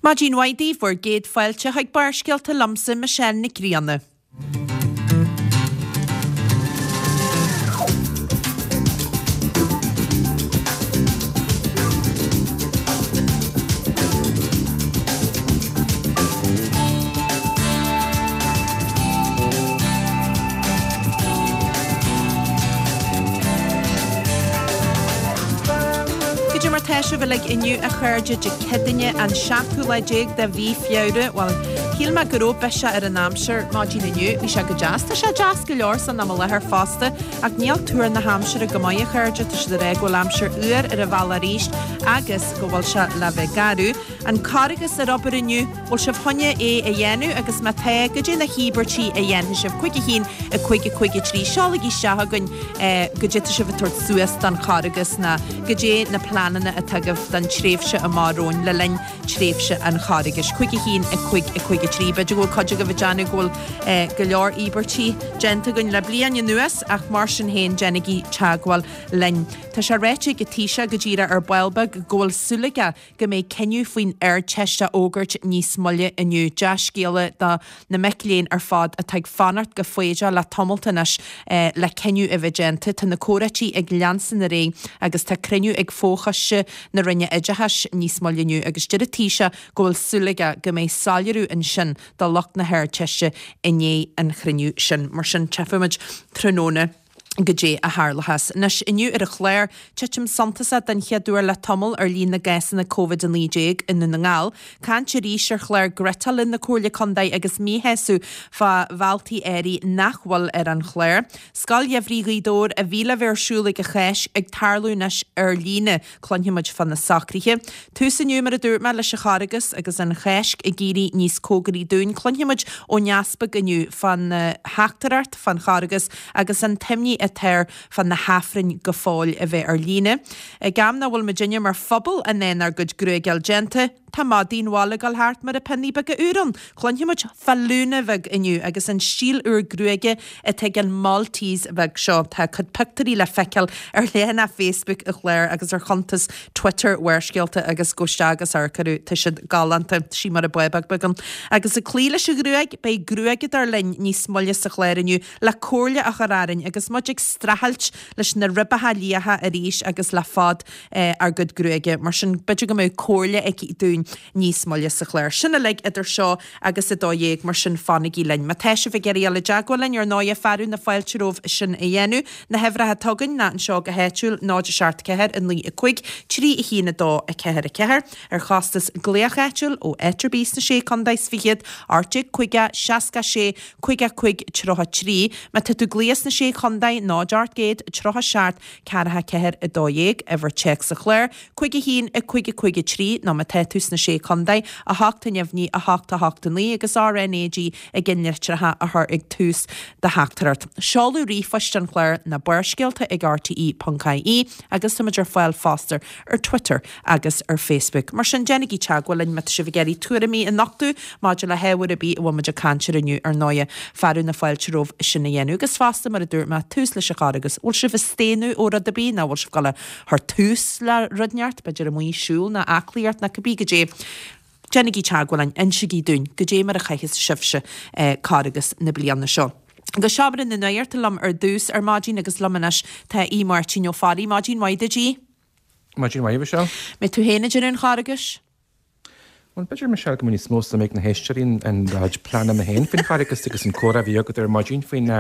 Maidin mhaith daoibh, bhur gcéad fáilte chuig Barrscéalta liomsa, Michelle Nic Grianna. Goidé mar tá sibh uilig inniu a chairde Dé Céadaoine an seachtú lá déag de mhí Feabhra. Bhuel, shíl mé go raibh biseach ar an aimsir maidin inniu. Bhí sé go deas. Tá sé deas go leor san am i láthair fosta, ach níl tuar na haimsire go maith a chairde. Tá siad ag rá go bhfuil aimsir fhuar ar an bhealach arís agus go bhfuil sé le bheith garbh. An Carghas ar obair inniu, bhfuil sibh chun é a dhéanamh agus má tá, goidé na híobairtí a dhéanfaidh sibh? 5 1 5 5 3 Seolaigí isteach chugainn goidé tá sibh ag tabhairt suas don Charghas ná goidé na pleananna atá agaibh don tréimhse amach romhainn le linn tréimhse an Charghais. 5 1 5 5 3 B'fhéidir go bhfuil cuid agaibh ag déanamh go bhfuil go leor íobairtí déanta againn le bliain anuas ach mar sin féin déanaigí teagmháil linn. Tá sé ráite ag an Taoiseach go díreach ar ball beag go bhfuil súil aige go mbeidh cinneadh faoin Ardteist á fhógairt níos moille inniu. Dea-scéala do na mic léinn ar fad atá ag fanacht go foighdeach le tamalt anois le cinneadh a bheith déanta. Tá na comhráití ag leanstan ar aghaidh agus tá cruinniú ag fochoiste na Roinne Oideachais níos moille inniu agus deir an Taoiseach go bhfuil súil aige go mbeidh soiléiriú ansin do lucht na hArdteiste i ndiaidh an chruinniú sin. Mar sin, tchífimid tráthnóna. goidé a tharlóchas. Anois, inniu ar an chlár, titim suntasach den chéad uair le tamall ar líon na gcásanna Covid-19 i nDún na nGall, caint arís ar chlár ghriotála na Comhairle Contae agus míshásamh fá bhealtaí áirithe nach bhfuil ar an chlár. Scoil Gheimhridh Ghaoth Dobhair a bhí le bheith ar siúl ag an Cháisc ag tarlú anois ar líne. Cluinfimid fá na socruithe. Tús inniu, mar a dúirt mé, leis an Charghas agus an Cháisc ag éirí níos cóngaraí dúinn. Cluinfimid ón Easpag inniu fán theachtaireacht fán Charghas agus an t-imní atá air fá na hAifrinn go fóill a bheith ar líne. Ag am nach bhfuil muidinne mar phobal in ann ár gcuid gruaige a fháil déanta, Tá madaí an bhaile ag dul thart mar a pionnaí beaga úr ann. Cluinfimid fá Luna bheag inniu agus an stíl úr gruaige atá ag an Maltese bheag seo. Tá a cuid pictiúirí le feiceáil ar leathanach Facebook an chláir agus ar chuntas Twitter Bharrscéalta agus gabh isteach agus amharc orthu, tá siad galánta. Sí mar a bábóg beag ann. Agus ag cloí leis an ghruaig, beidh gruaigeadóir linn níos moille sa chlár inniu le comhairle a chur orainn agus muid ag streachailt leis na ribeacha liatha arís agus le fad ár gcuid gruaige. Mar sin, b'fhéidir go mbeadh comhairle aici dúinn níos moille sa chlár. Sin uilig idir seo agus 12, mar sin fanaigí linn. Má tá sibh ag iarraidh dul i dteagmháil linn, ar ndóighe, fearadh na fáilte romhaibh sin a dhéanamh. Na huimhreacha atá againn ná anseo go háitiúil, 0 7 4 9 5 3 1 2 4 4, ar chostas glaoch áitiúil ó áit ar bith sna Sé Contae is Fichead, 18 50 66 55 33. Má tá tú ag glaoch sna Sé Chontae, 0 800 37 44 12, uimhir téacs an chláir, 5 1 5 5 3, nó má tá tú sna Sé Chontae, 8 neamhní 8 8 9 agus RnaG i gceannlitreacha a chur ag tús do theachtaireacht. Seoladh ríomhphoist an chláir ná barrscéalta ag rte.ie agus táimid ar fáil fosta ar Twitter agus ar Facebook. Mar sin, déanaigí teagmháil linn má tá sibh ag iarraidh tuairimí a nochtadh maidir le hábhar ar bith a bhfuil muid ag caint air inniu, ar ndóighe. Fearadh na fáilte romhaibh sin a dhéanamh. Agus fosta, mar a dúirt mé, tús leis an Charghas. Bhfuil sibh ag staonadh ó rud ar bith nó bhfuil sibh ag dul a chur tús le rud inteacht, b'fhéidir amuigh ag siúl nó aclaíocht nó cibé goidé. Déanaigí teagmháil linn, insigí dúinn goidé mar a chaitheas sibhse Carghas na bliana seo. Go seomra na nuachta liom ar dtús ar maidin agus liom anois tá Aodh Máirtín Ó Fearraigh. Maidin mhaith duit, Aodh. Maidin mhaith, a Mhichelle. Mbeidh tú féin ag déanamh an Charghais? Bhuel, b'fhéidir, Michelle, go mbeadh níos mó suim ag na héisteoirí in do chuid pleananna féin faoin Charghas agus an comhrá a bhí agat ar maidin faoin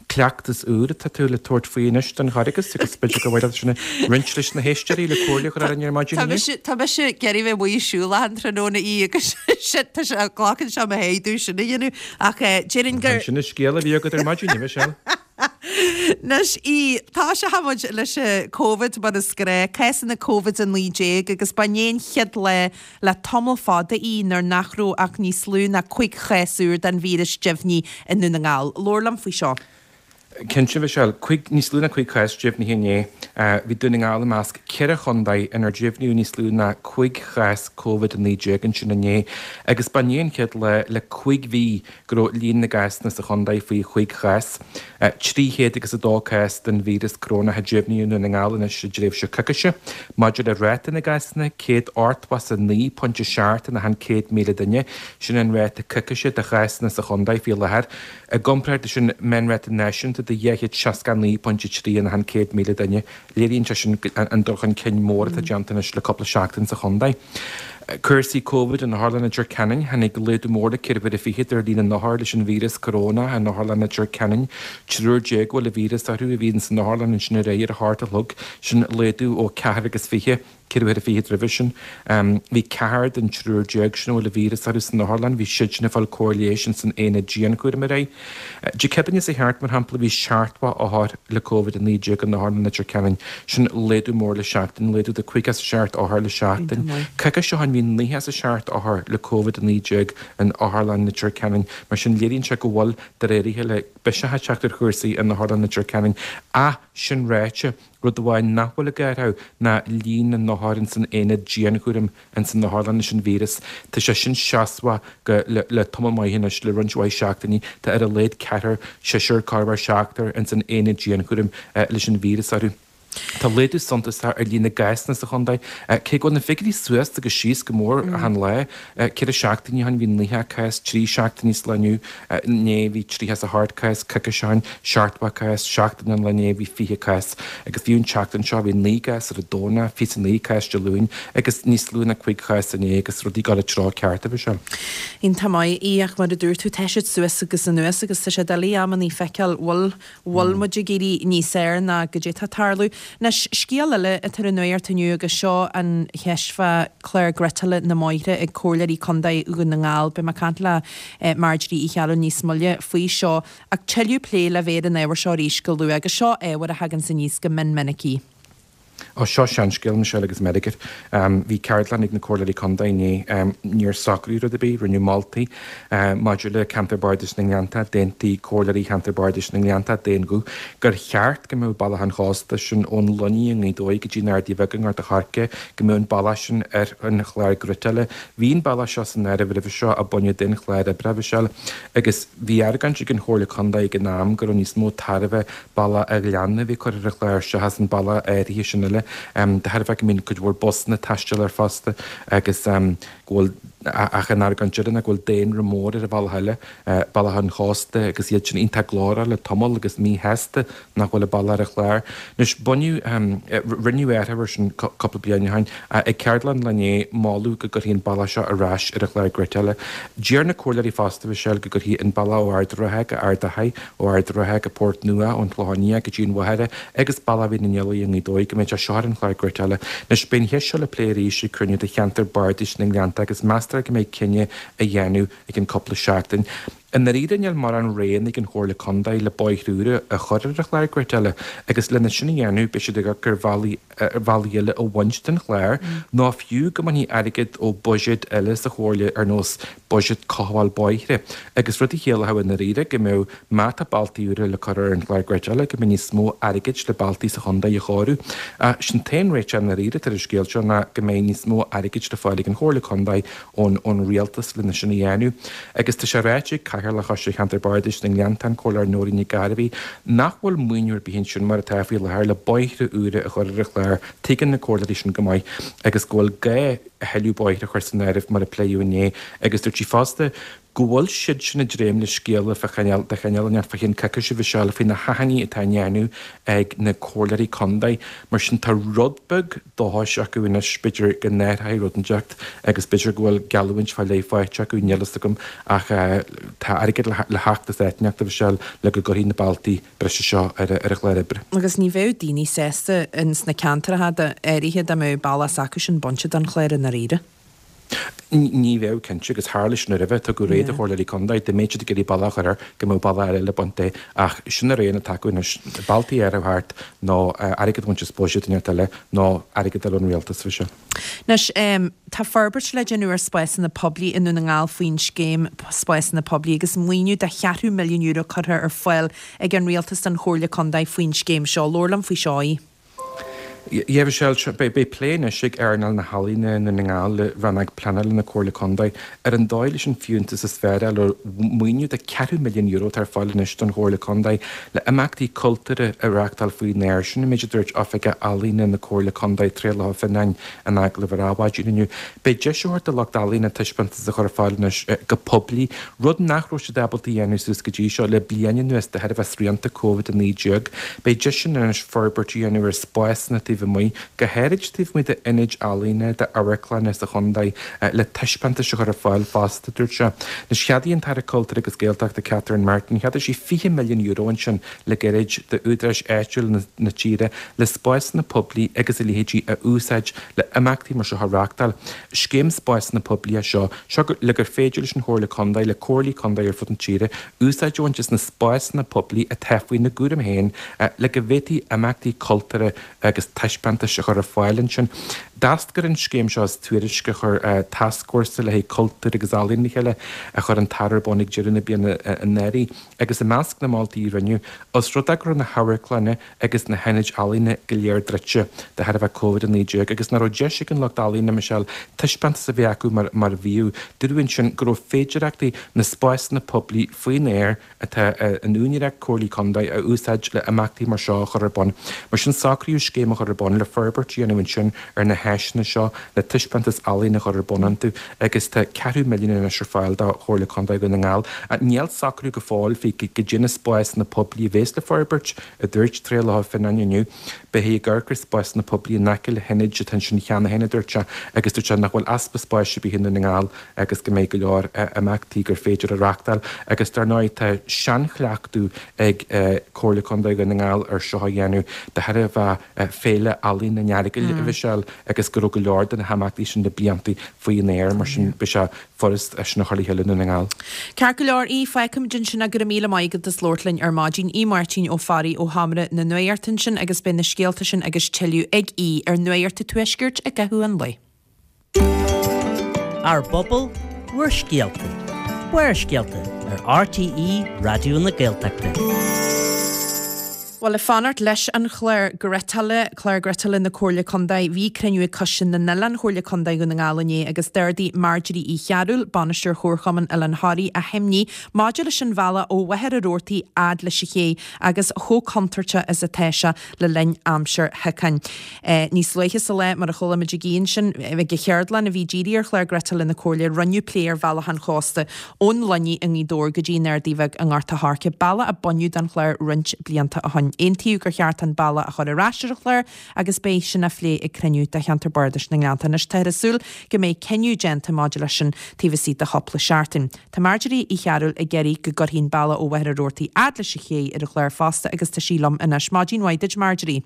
cleachtas úr atá tú le tabhairt faoi anois don Charghas agus b'fhéidir gur mhaith leat sin a roinnt leis na héisteoirí le comhairle a chur orainn ar maidin inniu. Tá mise ag iarraidh bheith amuigh ag siúl achan tráthnóna í agus tá sé, glacann sé mo shéideadh sin a dhéanamh ach déarfainn gur. Sin an scéal a bhí agat ar maidin, a Mhichelle. Anois, tosóidh muid leis an Covid mar is gnách, cásanna Covid-19 agus ba inné an chéad lá le tamall fada í nuair nach raibh ach níos lú ná 5 chás úr den víreas deimhnithe i nDún na nGall. Labhair liom faoi seo. Cinnte, Michelle. Níos lú ná 5 chás deimhnithe inné. Bhí Dún na nGall i measc 4 chontae inar deimhníodh níos lú ná 5 chás Covid-19 ansin inné agus ba inné an chéad lá le 5 mhí go raibh líon na gcásanna sa chontae faoi chúig chás. 302 cás den víreas corónach a deimhníodh i nDún na nGall anois i dtréimhse coicíse. Maidir le ráta na gcásanna, 189.7 in achan 100,000 duine, sin an ráta coicíse de chásanna sa chontae faoi láthair. I gcomparáid leis an meánráta náisiúnta de 269.3 in achan 100,000 duine, léiríonn sé sin an dul chun cinn mór atá déanta anois le cúpla seachtain sa chontae. Cúrsaí Covid in Otharlann Leitir Ceanainn, Tháinig laghdú mór le ceithre huaire fichead ar líon na n-othar leis an víreas corónach in Otharlann Leitir Ceanainn. Triúr a bhfuil an víreas orthu a bhí ins an otharlann ansin aréir ar a hocht a chlog, sin laghdú ó ceathrar agus fiche. Ceithre huaire fichead roimhe sin. Bhí ceathrar den triúr sin a bhfuil an víreas orthu san otharlann, bhí siadsin ag fáil cóir leighis ins an aonad dianchúraim aréir. Dé Céadaoine seo thart, mar shampla, bhí seachtó othar le Covid-19 in Otharlann Leitir Ceanainn. Sin laghdú mór le seachtain, laghdú de 57 othar le seachtain. Coicís ó shin bhí 97 othar le Covid-19 in Otharlann Leitir Ceanainn. Mar sin léiríonn sé go bhfuil, de réir a chéile, biseach ag teacht ar chúrsaí in Otharlann Leitir Ceanainn. Ach sin ráite, Rud amháin nach bhfuil ag athrú ná líon na n-othar ins an aonad dianchúraim ins an otharlann leis an víreas. Tá sé sin seasmhach go le le tamall maith anois, le roinnt mhaith seachtainí. Tá ar a laghad ceathrar, seisear, corruair seachtar ins an aonad dianchúraim leis an víreas orthu. Tá laghdú suntasach ar líon na gcásanna sa chontae, cé go bhfuil na figiúirí suas agus síos go mór achan lá. Ceithre seachtainí ó shin bhí 90 cás, trí seachtainí sa lá inniu, inné bhí 38 cás, coicís ó shin 70 cás, seachtain ón lá inné bhí 20 cás agus fiú an tseachtain seo bhí 9 gcás ar an Domhnach, 29 cás Dé Luain agus níos lú ná 5 chás inné agus rudaí ag dul an treo ceart, a Mhichelle. Iontach maith í ach mar a dúirt tú tá siad suas agus anuas agus tá sé doiligh amannaí feiceáil bhfuil bhfuil muid ag éirí níos fhearr ná goidé tá ag tarlú. Anois, scéal eile atá ar an nuacht inniu agus seo an cheist fá chlár ghriotála na mbóithre ag Comhairleoirí Contae Dhún na nGall. Beidh mé ag caint le Marjorie Uí Cheallúin níos moille faoi seo ach tuilleadh plé le bheith ar an ábhar seo arís go luath agus seo ábhar a thaganns aníos go mion minic í. Ó, seo seanscéal, Michelle agus Meiricir. Bhí ceardlann ag na Comhairleoirí Contae inné. Níor socraíodh rud ar bith, rinneadh moltaí maidir le Ceantar Bardais na nGleanntach. D'aontaigh Comhairleoirí Cheantar Bardais na nGleanntach d'aon ghuth gur cheart go mbeadh Bealach an Chósta, sin ón Luinnigh i nGaoth Dobhair go dtí na Ardaí Bheaga i nGort a' Choirce, go mbeadh an bealach sin ar an chlár griotála. Bhí an bealach seo san áireamh roimhe seo a baineadh den chlár oibre, a Mhichelle, agus bhí argóint ag an Chomhairle Contae ag an am go raibh níos mó tairbhe bealach a' Ghleanna a bhí curtha ar an chlár seachas an bealach áirithe sin eile, de thairbhe go mbíonn cuid mhór busanna ag taisteal air fosta agus go bhfuil, ach an argóint eile ná go bhfuil daonra mór ar an bhealach eile, bealach an chósta agus iad sin iontach glórach le tamall agus míshásta nach bhfuil a bealach ar an chlár. Anois, baineadh, rinneadh athrú air sin cúpla bliain ó shin. Ag ceardlann an lae inné, moladh go gcuirfí an bealach seo ar ais ar an chlár griotála. Deir na comhairleoirí fosta, Michelle, go gcuirfí an bealach ó Ard an Rátha go Ard Achaidh, ó Ard an Rátha go Port Nua, ón Chlochán Liath go dtí an Mhachaire agus bealach Mhín an Fhiolaigh i nGaoth Dobhair, go mbeadh sé seo ar an chlár griotála. Anois, beidh an cheist seo le plé arís ag cruinniú de cheantar bardais na nGleannta agus meastar go mbeidh cinneadh á dhéanamh i gcionn cúpla seachtain. I ndáiríre níl mórán roghanna ag an Chomhairle Contae le bóithre úra a chur ar an chlár griotála agus lena sin a dhéanamh beidh siad ag amharc ar bhealaí bhealaí eile a bhaint den chlár nó fiú go mbainfí airgead ó bhuiséid eile sa Chomhairle ar nós buiséad cothabháil bóithre agus rud a chiallódh i ndáiríre go mbeadh má tá bealtaí úra le cur ar an chlár griotála go mbeidh níos mó airgid le bealtaí sa chontae a chóiriú. Ach sin t-aon réiteach i ndáiríre atá ar an scéal seo ná go mbeidh níos mó airgid le fáil ag an Chomhairle Contae ón rialtas lena sin a dhéanamh. Agus tá sé ráite ag Cathaoirleach Choiste Cheantar Bardais na nGleanntach, an Comhairleoir Nóirín Nic Gairbhí, nach bhfuil maoiniú ar bith ansin mar atá faoi láthair le bóithre úra a chur ar an chlár, tuigeann na comhairleoirí sin go maith, agus go bhfuil gá a thuilleadh bóithre a chur san áireamh mar a pléadh inné. Agus dúirt sí fosta go bhfuil siadsan ag dréim le scéala fá chineál, de chineál inteacht fá cheann coicíse a Mhichelle faoi na hachainí atá á ndéanamh ag na comhairleoirí contae. Mar sin tá rud beag dóchais acu anois, b'fhéidir go n-athróidh rud inteacht agus b'fhéidir go bhfuil geallúint fá leith faighte acu, níl fhios agam, ach tá airgead le theacht as áit inteacht, a Mhichelle, le go gcuirfí na bealtaí breise seo ar an chlár oibre. Agus ní bheadh daoine sásta ins na ceantracha áirithe dá mbeadh bealach s'acusan bainte den chlár i ndáiríre. Ní bheadh, cinnte, agus tharla sin roimhe, tugadh rogha do chomhairleoirí contae, dá mbeadh siad ag iarraidh bealach a chur air, go mbeadh bealach eile le baint de, ach sin na roghanna atá acu anois, bealtaí a athrú thart nó airgead a bhaint as buiséad inteacht eile nó airgead a fháil ón rialtas, a Mhichelle. Anois, tá forbairt le déanamh ar spásanna poiblí i nDún na nGall faoin scéim Spásanna Poiblí agus maoiniú de cheathrú milliún euro curtha ar fáil ag an Rialtas don Chomhairle Contae faoin scéim seo. Labhair liom faoi seo, a Aoidh. Yeah, Michelle, beidh plé anois ag earnáil na healaíne i nDún na nGall le Rannóg Pleanála na Comhairle Contae ar an dóigh leis an fiúntas is fearr a fháil ar mhaoiniú de ceathrú milliún euro atá ar fáil anois don Chomhairle Contae le imeachtaí cultúrtha a reáchtáil faoin aer. Sin an méid a dúirt Oifigeach Ealaíne na Comhairle Contae, Traolach Ó Fionnáin, in agallamh ar Adhmhaidin inniu. Beidh deis á thabhairt do lucht ealaíne taispeántas a chur ar fáil anois go poiblí, rud nach raibh siad ábalta a dhéanamh suas go dtí seo le bliain anuas de thairbhe srianta Covid-19. Beidh deiseanna anois forbairt a dhéanamh ar spásanna taobh amuigh, go háirid taobh amuigh d'ionaid ealaíne, d'amharclanna sa chontae, le taispeántais a chur ar fáil fosta, dúirt sé. Anois, cheadaigh an tAire Cultúir agus Gaeltachta Catherine Martin, cheadaigh sí €20 milliún ansin le gairid d'údaráis áitiúla na tíre le spásanna poiblí agus a leithéidí a úsáid le imeachtaí mar seo a reáchtáil. Scéim spásanna poiblí é seo, seo le gur féidir leis an Chomhairle Contae, le comhairlí contae ar fud na tíre, úsáid a bhaint as na spásanna poiblí atá faoina gcúram féin le go bhféadfaí imeachtaí cultúrtha agus taispeántais a chur ar fáil ansin. D'eascair an scéim seo as tuairisc a chuir tascfhórsa le haghaidh cultúr agus ealaíon le chéile a chuir an tAire ar bun ag deireadh na bliana anuraidh agus i measc na moltaí a rinneadh, os rud é go raibh na hamharclanna agus na hionaid ealaíne go léir druidte de thairbhe Covid-19 agus nach raibh deis ag an lucht ealaíne, Michelle, taispeántas a bheith acu mar a bhíodh. Dúradh ansin go raibh féidearthachtaí na spásanna poiblí faoin aer atá in úinéireacht comhairlí contae a úsáid le imeachtaí mar seo a chur ar bun. Mar sin socraíodh scéim a chur ar bun le forbairt a dhéanamh ansin ar na háiseanna seo le taispeántas ealaíne a chur ar bun iontu agus tá ceathrú milliún anois ar fáil do Chomhairle Contae Dhún na nGall. Níl socrú go fóill faoi goidé na spásanna poiblí a bhéas le forbairt, a dúirt Traolach Ó Fionnáin inniu. Beifí ag amharc ar spásanna poiblí in aice le hionaid atá ansin cheana féin, a dúirt sé, agus dúirt sé nach bhfuil easpa spáis ar bith i nDún na nGall agus go mbeidh go leor imeachtaí gur féidir a reáchtáil. Agus dar ndóigh tá seanchleachtadh ag Comhairle Contae Dhún na nGall ar seo a dhéanamh de thairbhe Féile Ealaíon an Earagail, a Mhichelle, agus go raibh go leor de na himeachtaí sin le blianta faoin aer, mar sin beidh sé furast é sin a chur le chéile i Ndún na nGall. Ceart go leor, Aodh, fágfaimid ansin é, go raibh míle maith agat as labhairt linn ar maidin. Aodh Máirtín Ó Fearraigh ó Sheomra na Nuachta ansin agus beidh na scéalta sin agus tuilleadh ag Aodh ar Nuacht an Tuaiscirt i gcaitheamh an lae. Ár bpobal, bhur scéalta. Barrscéalta ar RTÉ Raidió na Gaeltachta. Bhuel, ag fanacht leis an chlár ghriotála, clár griotála na Comhairle Contae, bhí cruinniú ag Coiste na nOileán Chomhairle Contae Dhún na nGall inné agus d'ardaigh Marjorie Uí Chearúil, Bainisteoir Chomharchumann Oileán Thoraí, a himní maidir leis an bhealach ó Mhachaire Rabhartaigh fhad leis an ché agus chomh contúirteach is atá sé le linn aimsir shiocáin. Níos luaithe sa lá, mar a chuala muid ag Aodh ansin, ag an cheardlann a bhí dírithe ar chlár griotála na Comhairle, rinneadh plé ar bhealach an chósta ón Luinnigh i nGaoth Dobhair go dtí an Ardaidh Bheag i nGort a' Choirce, bealach a baineadh den chlár roinnt blianta ó shin. Aontaíodh gur cheart an bealach a chur ar ais ar an chlár agus beidh sin á phlé ag cruinniú de Cheantar Bardais na nGleannta. Anois táthar ag súil go mbeidh cinneadh déanta maidir leis sin taobh istigh de chúpla seachtain. Tá Marjorie Uí Chearúil ag iarraidh go gcuirfí an bealach ó Mhachaire Rabhartaigh fhad leis an ché ar an chlár fosta agus tá sí liom anois. Maidin mhaith duit Marjorie.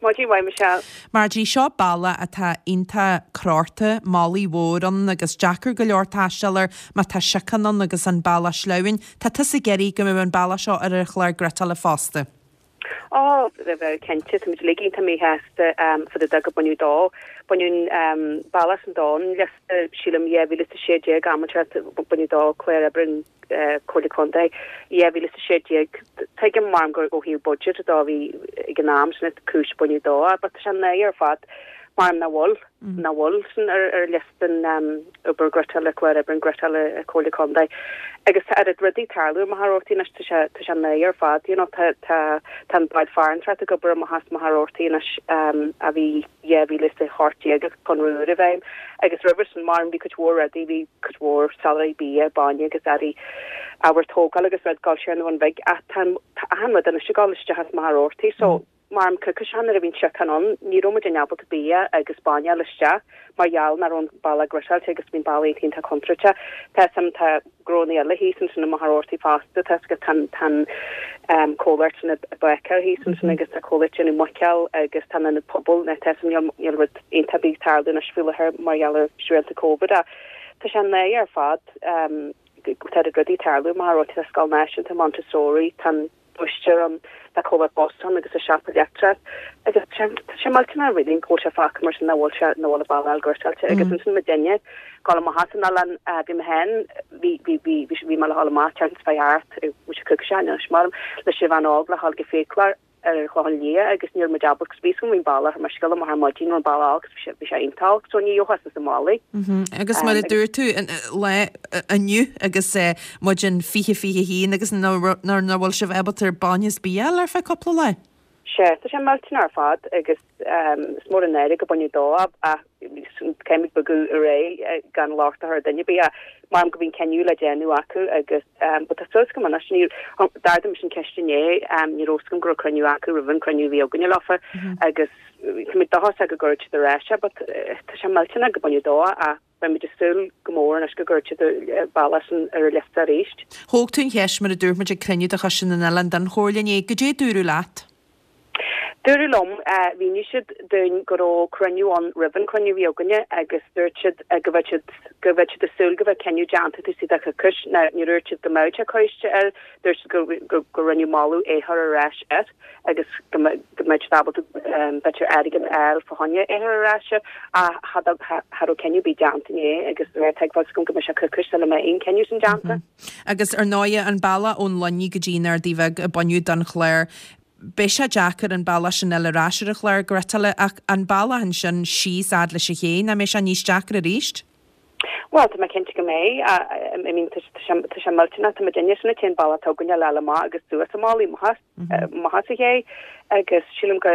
Maidin mhaith Michelle. Marjorie, seo bealach atá iontach crórtha, malaidh mhór ann agus deacair go leor taisteal air má tá siocán ann agus an bealach sleamhain. Tá tusa ag iarraidh go mbeadh an bealach seo ar an chlár griotála fosta. Ó, bheadh cinnte, táimid uilig iontach míshásta fá dtaobh de gur baineadh dó. Baineadh an bealach sin don liosta, sílim, 2016, am inteacht, baineadh dó clár oibre an Comhairle Contae 2016. Tuigim mar gur ó thaobh budget dó a bhí ag an am sin is cúis baineadh dó but tá sé náireach ar fad mar nach bhfuil nach bhfuil sin ar ar liosta an obair griotála clár oibre an griotála Comhairle Contae agus tá oiread rudaí ag tarlú i Machaire Rabhartaigh anois tá sé tá sé náireach ar fad you know tá tá tá an bád farantóireachta ag obair amach as Machaire Rabhartaigh anois a bhí 2018 agus conradh úr i bhfeidhm agus roimhe sin mar bhí cuid mhór rudaí, bhí cuid mhór soláthraí bia, bainne agus earraí ábhar tógála agus rud ag dul siar an Bhun Bhig ach tá tá achan rud anois ag dul isteach as Machaire Rabhartaigh so mar an coicís seo nuair a bhí an siocán ann ní raibh muid in ábalta bia agus bainne a fháil isteach mar gheall nach raibh an bealach griotáilte agus bhí an bealach iontach iontach contúirteach. Tá 'fhios a'm tá gnónna eile thíos ansin i Machaire Rabhartaigh fosta, tá 'fhios agat tá an tá an comhlacht sin ag bácáil thíos ansin agus tá comhlacht déanamh muiceoil agus tá an ionad pobail, tá 'fhios a'm níl níl rud iontach ar bith ag tarlú anois faoi láthair mar gheall ar srianta Covid ach. tá sé náireach ar fad tá rudaí ag tarlú mar tá scoil náisiúnta Montessori, tá an búistéir ann, tá comhlacht bus ann agus tá siopa leictreach agus tá sé millteanach really go bhfuil sé fágtha mar sin nach bhfuil sé nach bhfuil an bealach ghiortáilte agus ansin muidinne ag gabháil amach as an oileán bhí mé féin bhí bhí bhí bhí mé le dhul amach ceann fá cheart bhí sé coicís anois mar leis an bhean óg le dhul go fiaclóir ar an Chlochán Liath agus ní raibh muid ábalta 'cause bhí 'fhios agam bhí an bealach ar mo scéal amach ar maidin raibh an bealach olc 'cause bhí sé iontach olc so ní gheofá suas an mhallaí. Agus mar a dúirt tú lá inniu agus muid in 2021 agus nuair nach bhfuil sibh ábalta ar bainne is bia a fháil ar feadh cúpla lá. Sea, tá sé millteanach ar fad agus is mór an náire go baineadh dó ach caithfimid bogadh ar aghaidh gan locht a chur ar dhuine ar bith ach maram go bhí an cinneadh le déanamh acu agus but tá súil agam anois ní d'ardaigh mise an ceist inné ní raibh fhios agam go raibh cruinniú acu roimh an cruinniú a bhí againne leofa agus tá mé dóchasach go gcuirfidh siad ar ais é but tá sé millteanach go baineadh dó ach beidh muid ag súil go mór anois go gcuirfidh siad an bealach sin ar an liosta arís. Thóg tú an cheist mar a dúirt muid ag cruinniú de Choiste na nOileán den Chomhairle inné, goidé a dúradh leat? Dúradh liom, mhínigh siad dúinn go raibh cruinniú ann roimh an cruinniú a bhí againne agus dúirt siad go bheadh siad, go bheadh siad ag súil go bheadh cinneadh déanta taobh istigh de choicís. Now, níor dhúirt siad go mbeadh sé curtha air, dúirt siad go, go, go rinneadh moladh é chur ar ais air agus go mbeadh, go mbeadh siad ábalta, b'fhéidir airgead a fháil fá choinne é chur ar ais air ach cha, cha raibh cinneadh ar bith déanta inné agus de réir tuigbheáil s'agam go mbeidh sé coicís sula mbeidh aon cinneadh sin déanta. Agus ar ndóighe, an bealach ón Luinnigh go dtí an Ardaidh Bheag a baineadh den chlár, Beidh sé deacair an bealach sin a fháil ar ais ar an chlár gréasála ach an bealach ansin síos fhad leis an ché, nach mbeidh sé níos deacra arís? Bhuel, tá mé cinnte go mbeidh. I mean, tá sé, tá sé millteanach, tá muidinne sin an t-aon bealach atá againne le fháil amach agus suas an Mhullaigh, amach as, amach as an ché agus sílim go,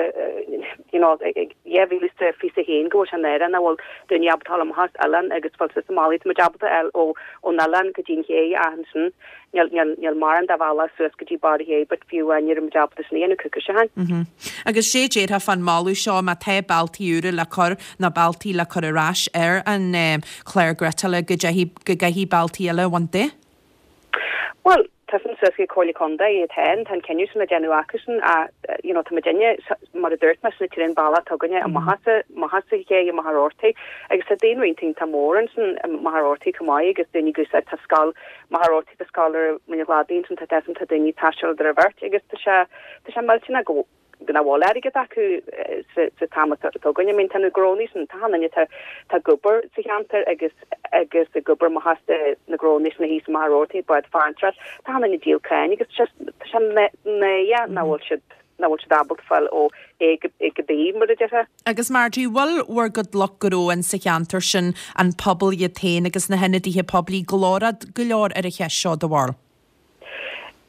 you know, 2021 go bhfuil sé náireach nach bhfuil daoine ábalta a fháil amach as oileán agus fáil suas an Mhullaigh, tá muid ábalta a fháil ó, ón oileán go dtí an ché ach ansin Níl, níl, níl mórán de bhealach suas go dtí barr an ché, but fiú amháin ní raibh muid ábalta sin a dhéanamh coicís ó shin. Agus sé déarfá fán moladh seo má tá bealtaí úra le cur nó bealtaí le cur ar ais ar an chlár gréasála go dteithfidh, go gcaithfidh bealtaí eile a bhaint de? Bhuel, tá sin suas ag Comhairle Contae iad féin, tá an cinneadh sin le déanamh acusan ach, you know, tá muidinne, mar a dúirt mé, sin an t-aon bealach atá againne amach as a, amach as an ché, i Machaire Rabhartaigh agus tá daonra iontach iontach mór ansin i Machaire Rabhartaigh chomh maith agus daoine ag úsáid, tá scoil Machaire Rabhartaigh tá scoil ar Mhuine Chladaigh ansin tá deas tá daoine ag taisteal idir an bheirt agus tá sé tá sé millteanach go nach bhfuil airgead acu sa sa t-am atá againn. I mean tá na gnónnaí sin tá achan duine tá tá ag obair sa cheantar agus agus ag obair amach as de na gnónnaí sin thíos i Machaire Rabhartaigh bád farantóireacht tá achan duine ag díol crainn agus tá sé tá sé náireach nach bhfuil siad nach bhfuil siad ábalta fáil ó A go A go B mar a déarfá. Agus Marjorie, bhfuil bhur gcuid lucht gnó in sa cheantar sin, an pobal iad féin agus na hionadaithe poiblí glórach go leor ar an cheist seo, do bharúil?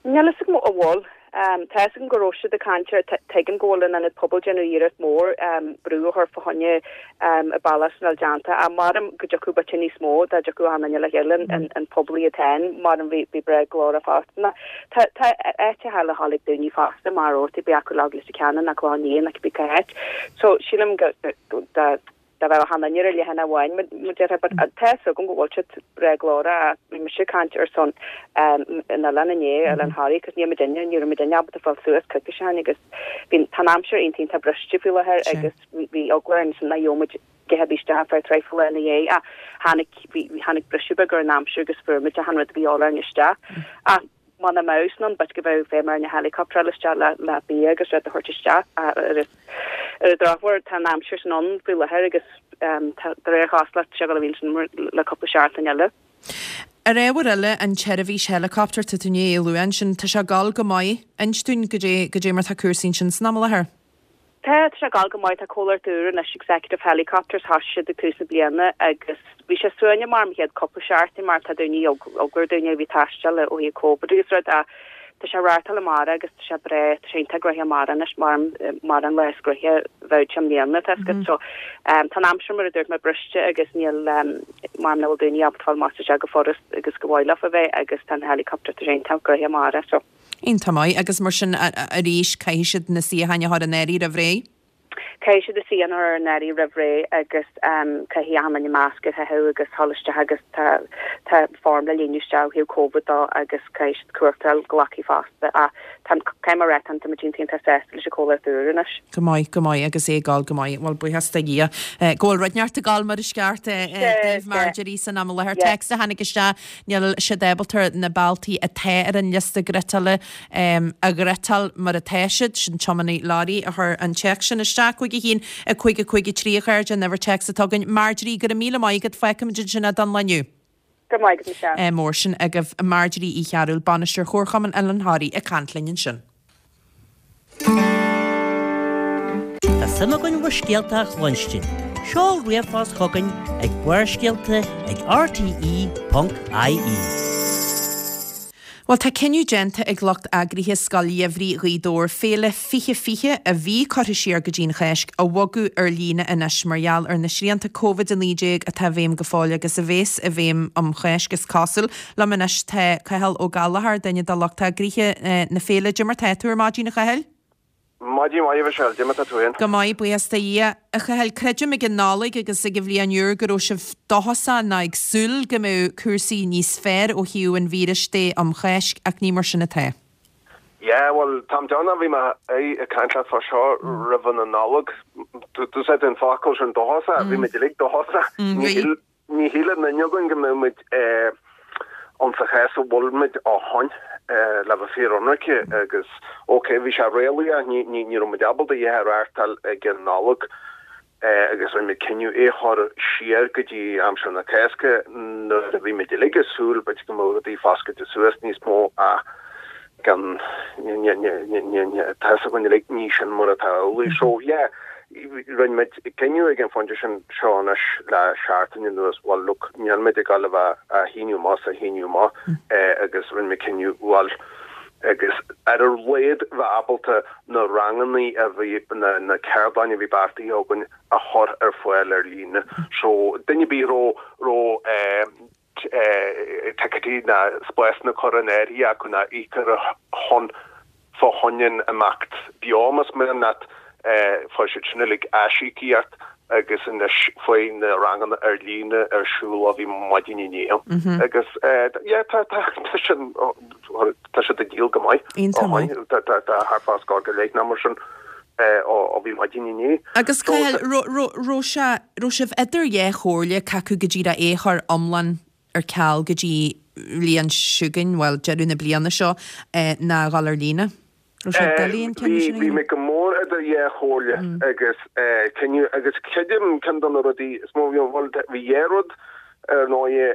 Níl fhios agam an bhfuil. Tá fhios agam go raibh siad ag caint air, tuigim go bhfuil an Ionad Pobail déanamh iarracht mór brú a chur fá choinne an bealach sin a fháil déanta ach maram go dtiocfadh b'fhéidir níos mó dá dtiocfadh achan duine le chéile an pobal iad féin maram bhí bhí breá glórach fosta. Tá tá áiteacha eile le dhul ag daoine fosta mar Rabhartaigh bíodh acu le Leitir Ceanainn nó Clochán Liath nó cibé cá háit. So sílim go dá dá bheadh achan duine ar leathanach amháin mar déarfá but tá fhios agam go bhfuil siad breá glórach ach bhí mise ag caint ar son an oileáin inné, Oileán Thoraí, cos níl muidinne, ní raibh muidinne ábalta fáil suas coicís ó shin agus bhí tá an aimsir iontach iontach briste faoi láthair agus bhí eagla orainn ansin nach gheobhadh muid a dhath ar bith isteach ar feadh traidhfil lá ina dhiaidh ach tháinig bhí tháinig briseadh beag ar an aimsir agus fuair muid achan rud a bhí orainn isteach ach muna mbeadh sin ann b'fhéidir go bheadh feidhm ar na helicopter isteach le le bia agus rud a thabhairt isteach ach ar an ar an drochuair tá an aimsir sin ann faoi láthair agus tá de réir chosúlacht tá sé ag dul a bheith ansin le cúpla seachtain eile. Ar ábhar eile, an tseirbhís helicopter, tá tú i ndiaidh é a lua ansin, tá sé ag dul go maith. Inis dúinn goidé goidé mar tá cúrsaí ansin san am i láthair. Tá, tá sé ag dul go maith, tá comhlacht úr anois, Executive Helicopters, thosaigh siad ag tús na bliana agus bhí sé suaimhneach mar an chéad cúpla seachtain mar tá daoine, eagla ar daoine a bhí ag taisteal ó thaobh Covid agus rud ach tá sé ag reáchtáil amárach agus tá sé breá, tá sé iontach gnoitheach amárach anois mar mar an lá is gnoithí a bheadh sé i mbliana, tá fhios agat. So tá an aimsir mar a dúirt mé briste agus níl mar nach bhfuil daoine ábalta fáil amach is isteach go furast agus go mhaith leofa bheith agus tá an helicopter tá sé iontach gnoitheach amárach so. Iontach maith. Agus mar sin arís, caithfidh siad na suíocháin a chur in áirithe roimh ré? Caithfidh siad a suíochán a chur in áirithe roimh ré agus caithfidh achan duine masc a chaitheamh agus dhul isteach agus tá tá form le líonadh isteach ó thaobh Covid dó agus caithfidh siad cumhachtáil glacadh fosta ach tá caithfidh mé a rá tá muid iontach iontach sásta leis an comhlacht úr anois. Go maith, go maith agus é ag gabháil go maith. Bhuel buíochas do Dhia go bhfuil rud inteacht ag gabháil mar is ceart daoibh Marjorie san am i láthair. Téacs a tháinig isteach Níl siad ábalta na bealtaí atá ar an liosta ghriotála a ghriotáil mar atá siad. Sin tiománaí leoraí a chuir an téacs sin isteach. 5 1 5 5 3 a chairde, an uimhir téacs atá againn. Marjorie, go raibh míle maith agat. Fágfaimid ansin é don lá inniu. Go raibh maith agat, Michelle. Mór sin agaibh. Marjorie Uí Chearúil, Bainisteoir Chomharchumann Oileán Thoraí ag caint linn ansin. Tá suim againn bhur scéalta a chluinstin. Seol ríomhphost chugainn ag barrscéalta ag rte.ie. Bhuel, tá cinneadh déanta ag lucht eagraithe Scoil Gheimhridh Ghaoth Dobhair Féile 2020, a bhí curtha siar go dtí an Cháisc, a bhogadh ar líne anois mar gheall ar na srianta Covid-19 atá i bhfeidhm go fóill agus a bhéas i bhfeidhm um Cháisc, is cosúil. Liom anois tá Cathal Ó Gallchóir, duine de lucht eagraithe na féile. Dé mar tá tú ar maidin, a Chathail? Maidin mhaith, a Mhichelle. Dé mar tá tú féin? Go maith, buíochas do Dhia. A Chathail, creidim ag an Nollaig agus ag an Bhliain Úr go raibh sibh dóchasach nó ag súil go mbeadh cúrsaí níos fearr ó thaobh an víris de um Cháisc ach ní mar sin atá. Yeah, bhuel, táim dearnach, bhí mé ag caint leat fá seo roimh an Nollaig. D'úsáid tú an focal sin dóchasach, bhí muid uilig dóchasach. Ní Ní shíl aon duine againn go mbeadh muid ann sa chás a bhfuil muid ó shoin, le bheith fíor-ionraice, agus ok, bhí sé réalaíoch, ní ní raibh muid ábalta a dhath a reáchtáil ag an Nollaig agus rinne muid cinneadh é a chur siar go dtí aimsir na Cásca nuair a bhí muid uilig ag súil b'fhéidir go mbeadh rudaí foscailte suas níos mó ach gan, tá fhios againn uilig, ní sin mar atá amhlaidh. So, yeah, rinne muid cinneadh ag an phointe sin seo anois le seachtain anuas, bhuel, look, níl muid ag dul a bheith á shíneadh amach is á shíneadh amach agus rinne muid cinneadh, bhuel, agus ar a laghad bheith ábalta na rangannaí a bhí, na ceardlanna a bhí beartaithe againn a chur ar fáil ar líne. So, duine ar bith a raibh, raibh, ticéidí ná spásanna curtha in áirithe acu ná íoctha ar shon fá choinne an imeacht beo más mian leat, fuair siad sin uilig aisíocaíocht agus anois faoi na ranganna ar líne ar siúl ó bhí maidin inné agus yeah tá tá tá sin tá siad ag díol go maith Iontach maith. Tá tá tá thart fá scór go leith nó mar sin ó bhí maidin inné. Agus Cathal, raibh sé, raibh sibh idir dhá chomhairle cé acu go díreach é a chur iomlán ar ceal go dtí bhliain seo chugainn, bhuel, deireadh na bliana seo, ná a dhul ar líne? Raibh sé doiligh an cinneadh sin a dhéanamh? Bhí mé go mór idir dhá chomhairle agus cinneadh, agus creidim ceann de na rudaí is mó, bhuel, bhí dhá rud ar ndóigh,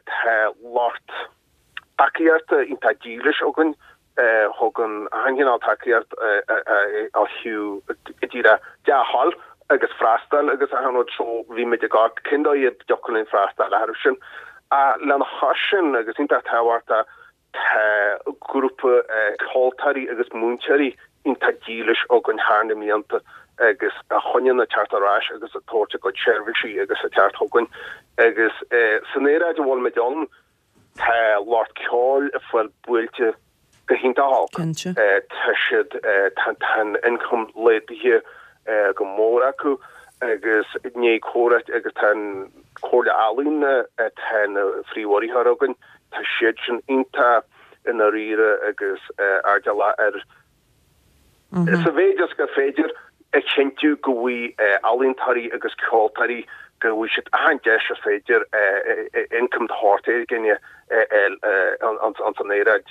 tá lucht tacaíochta iontach dílis againn thugann achan chineál tacaíocht ó thaobh go díreach dea-thoil agus freastal agus achan rud so bhí muid ag amharc cén dóigh a dtiocfadh linn freastal orthu sin. Ach lena chois sin agus iontach tábhachtach tá grúpa ceoltóirí agus múinteoirí iontach dílis againn thar na mblianta agus a choinníonn ag teacht ar ais agus ag tabhairt a gcuid seirbhísí agus ag teacht chugainn agus san aeráid a bhfuil muid ann Tá lucht ceoil ag fáil buailte go hiontach olc. Cinnte. Tá siad, tá an income laghdaithe go mór acu agus i ndiaidh comhráite agus tá an Comhairle Ealaíon atá ina phríomhurraitheoir againn, tá siad sin iontach i ndáiríre agus airdeallach ar Sa mhéid is gur féidir a chinntiú go bhfaighidh ealaíontóirí agus ceoltóirí go bhfaighidh siad achan deis is féidir income de shórt éigin a fháil ins an aeráid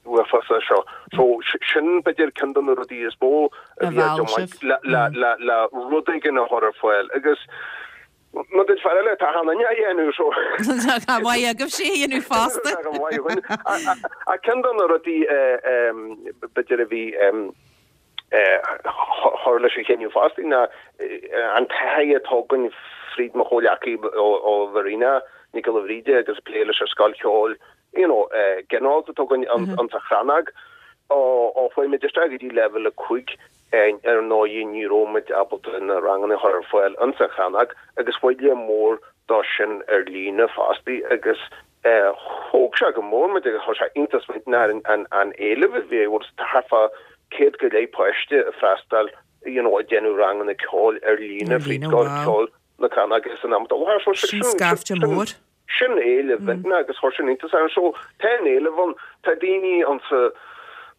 uafásach seo. So sin b'fhéidir ceann de na rudaí is mó a bhí á dtiomáint le rud éigin a chur ar fáil agus Má duit fear eile, tá achan duine á dhéanamh so. Tá go maith agaibhse a dhéanamh fosta. Tá go maith againn. Ach ceann de na rudaí b'fhéidir a bhí chur leis an chinneadh fosta ná an taithí atá againn fríd mo chomhghleacaí ó Mharina Nic Giolla Bhríde agus plé leis an scoil cheoil you know ginearálta atá againn insa Chrannóg ó chuaigh muid isteach go dtí leibhéal 5 Ar ndóigh ní raibh muid ábalta na ranganna a chur ar fáil insa Chrannóg agus bhuail mór dó sin ar líne fosta agus thóg sé go mór muid agus chuir sé iontas muid an an éileamh a bhí bhuel tá thart fá 100 go leith páiste ag freastal. you know, ag déanamh ranganna ceoil ar líne fríd Scoil Ceoil na Crannóige san am atá i láthair. So sin scaifte mór. Sin éileamh iontach agus chuir sin iontas orm. So tá an éileamh ann, tá daoine ann sa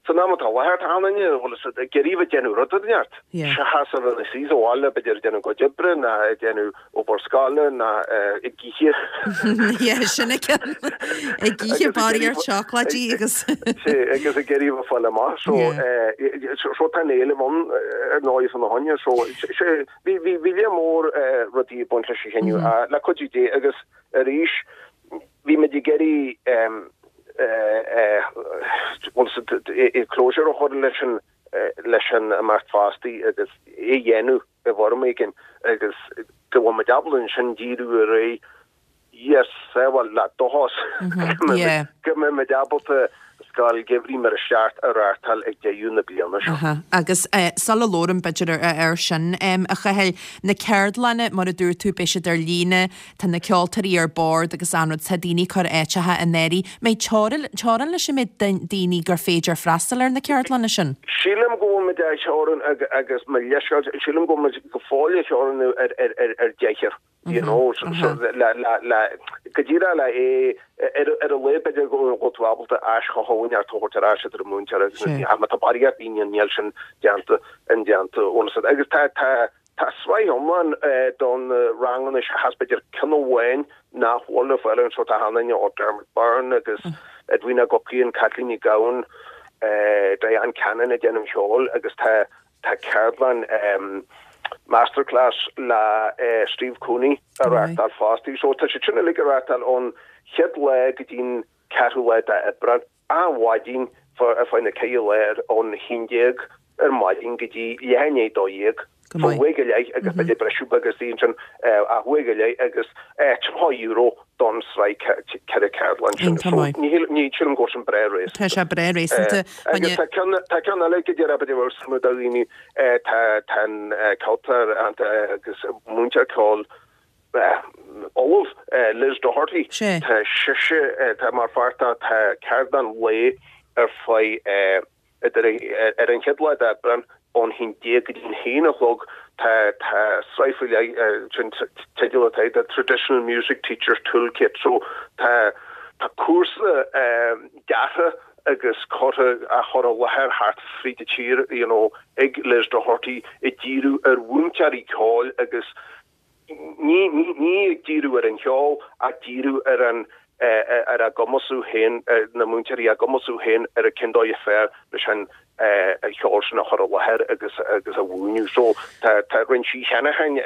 san am atá i láthair, tá an duine bhfuil fhios a'd ag iarraidh bheith ag déanamh rud inteacht seachas a bheith ina suí sa bhaile b'fhéidir ag déanamh a gcuid oibre ná ag déanamh obair scoile ná ag ithe. Yeah, sin é ceann. Ag ithe barraíocht seacláidí agus. Sea, agus ag iarraidh bheith ag fáil amach. So so tá an éileamh ann ar ndóigh fána choinne. So sé Bhí, bhí, bhí lear mór rudaí ag baint leis an chinneadh, le cuidiú Dé, agus arís, bhí muid ag iarraidh bhuel, closure a chur leis an, leis an imeacht fostaí agus é a dhéanamh i bhfoirm éigin agus go bhfuil muid ábalta ansin díriú ar aghaidh Yes, bhuel, le dóchas go mbeidh muid ábalta Scoil Gheimhridh mar is ceart a reáchtáil ag deireadh na bliana seo. Agus sula labhraim b'fhéidir ar sin, a Chathail, na ceardlanna, mar a dúirt tú, beidh siad ar líne, tá na ceoltóirí ar bord agus an rud, tá daoine ag cur áiteacha in áirithe. Mbeidh teorainn leis an méid daoine gur féidir freastal ar na ceardlanna sin? Sílim go bhfuil muid á theorannú agus mo leithscéal, sílim go bhfuil muid go fóill á theorannú ar deichniúr. you know, so le, le, le, go díreach le é, ar, ar a laghad b'fhéidir go bhfuil tú ábalta aischothú neart a thabhairt ar ais idir an múinteoir agus na, ach má tá barraíocht daoine ann níl sin déanta, indéanta ionas agus tá, tá, tá sraith iomlán don ranganna seachas b'fhéidir ceann amháin nach bhfuil ar fáil anseo, tá an-aithne ó Dermot Byrne agus Edwina Guckian, Kathleen Ní Ghabhann, Diane Cannon ag déanamh ceoil agus tá, Tá ceardlann Masterclass le Steve Cooney á reáchtáil fosta. So tá siad sin uilig á reáchtáil ón chéad lá go dtí'n ceathrú lá d'Aibreán, achan mhaidin ar feadh na ceithre lá ón haon déag ar maidin go dtí leath i ndiaidh a 12. So uair go leith agus b'fhéidir briseadh beag istigh ansin ach uair go leith agus €30 don sraith ceithre ceardlann sin. Iontach maith. So ní sílim go bhfuil sin breá réasúnta. Tá sé breá réasúnta. Agus tá ceann tá ceann eile go deireadh b'fhéidir bhfuil suim ag daoine tá tá an ceoltóir agus múinteoir ceoil ollamh Liz Doherty tá sise tá mar pháirt de tá ceardlann lae ar feadh Idir ar an chéad lá d'Aibreán ón haon déag go dtí an haon a chlog tá tá sraith faoi leith sin teideal atá air The Traditional Music Teacher's Toolkit so tá tá cúrsa deartha agus curtha á chur i láthair thart fríd an tír you know ag Liz Doherty ag díriú ar mhúinteoirí ceoil agus Ní ag díriú ar an cheol ach díriú ar an ar a gcumasú féin, na múinteoirí a gcumasú féin ar an cén dóigh is fearr leis an cheol sin a chur i láthair agus agus a mhúineadh. So tá tá rinne sí cheana féin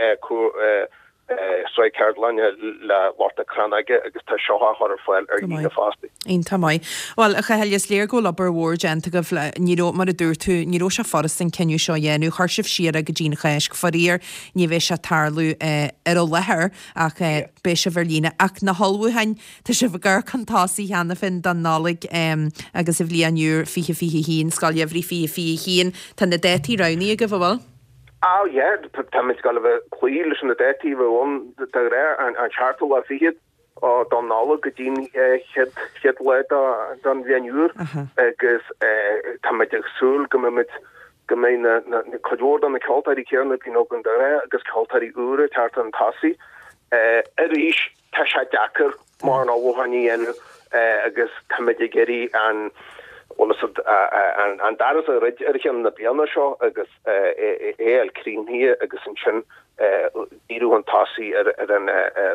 sraith ceardlainne le lucht na Crannóige agus tá seo á chur ar fáil ar líne fosta. Iontach maith. Bhuel, a Chathail, is léir go bhfuil obair mhór déanta agaibh le, ní raibh, mar a dúirt tú, ní raibh sé furasta an cinneadh seo a dhéanamh. Chuir sibh siar é go dtí an Cháisc. Faraor, ní bheidh sé ag tarlú ar an láthair ach beidh sibh ar líne. Ach na hullmhúcháin, tá sibh ag amharc chun tosaigh cheana féin don Nollaig agus an bhliain úr 2021, Scoil Gheimhridh 2021. Tá na dátaí roghnaithe agaibh, an bhfuil? Ah yeah, táimid ag gabháil a bheith ag cloí leis na dátaí a bheidh ann de ghnáth, an seachtú lá fichead. don Nollaig go dtí'n chéad lá den bhliain úr agus táimid ag súil go mbeimid, go mbeidh na, cuid mhór de na ceoltóirí céanna a bhíonn againn de ghnáth agus ceoltóirí úra ag teacht chun tosaigh. Arís, tá sé deacair mórán ullmhúcháin a dhéanamh agus táimid ag iarraidh an, bhfuil fhios a'd, an doras a dhruid ar cheann na bliana seo agus é a fháil críochnaithe agus ansin díriú chun tosaigh ar an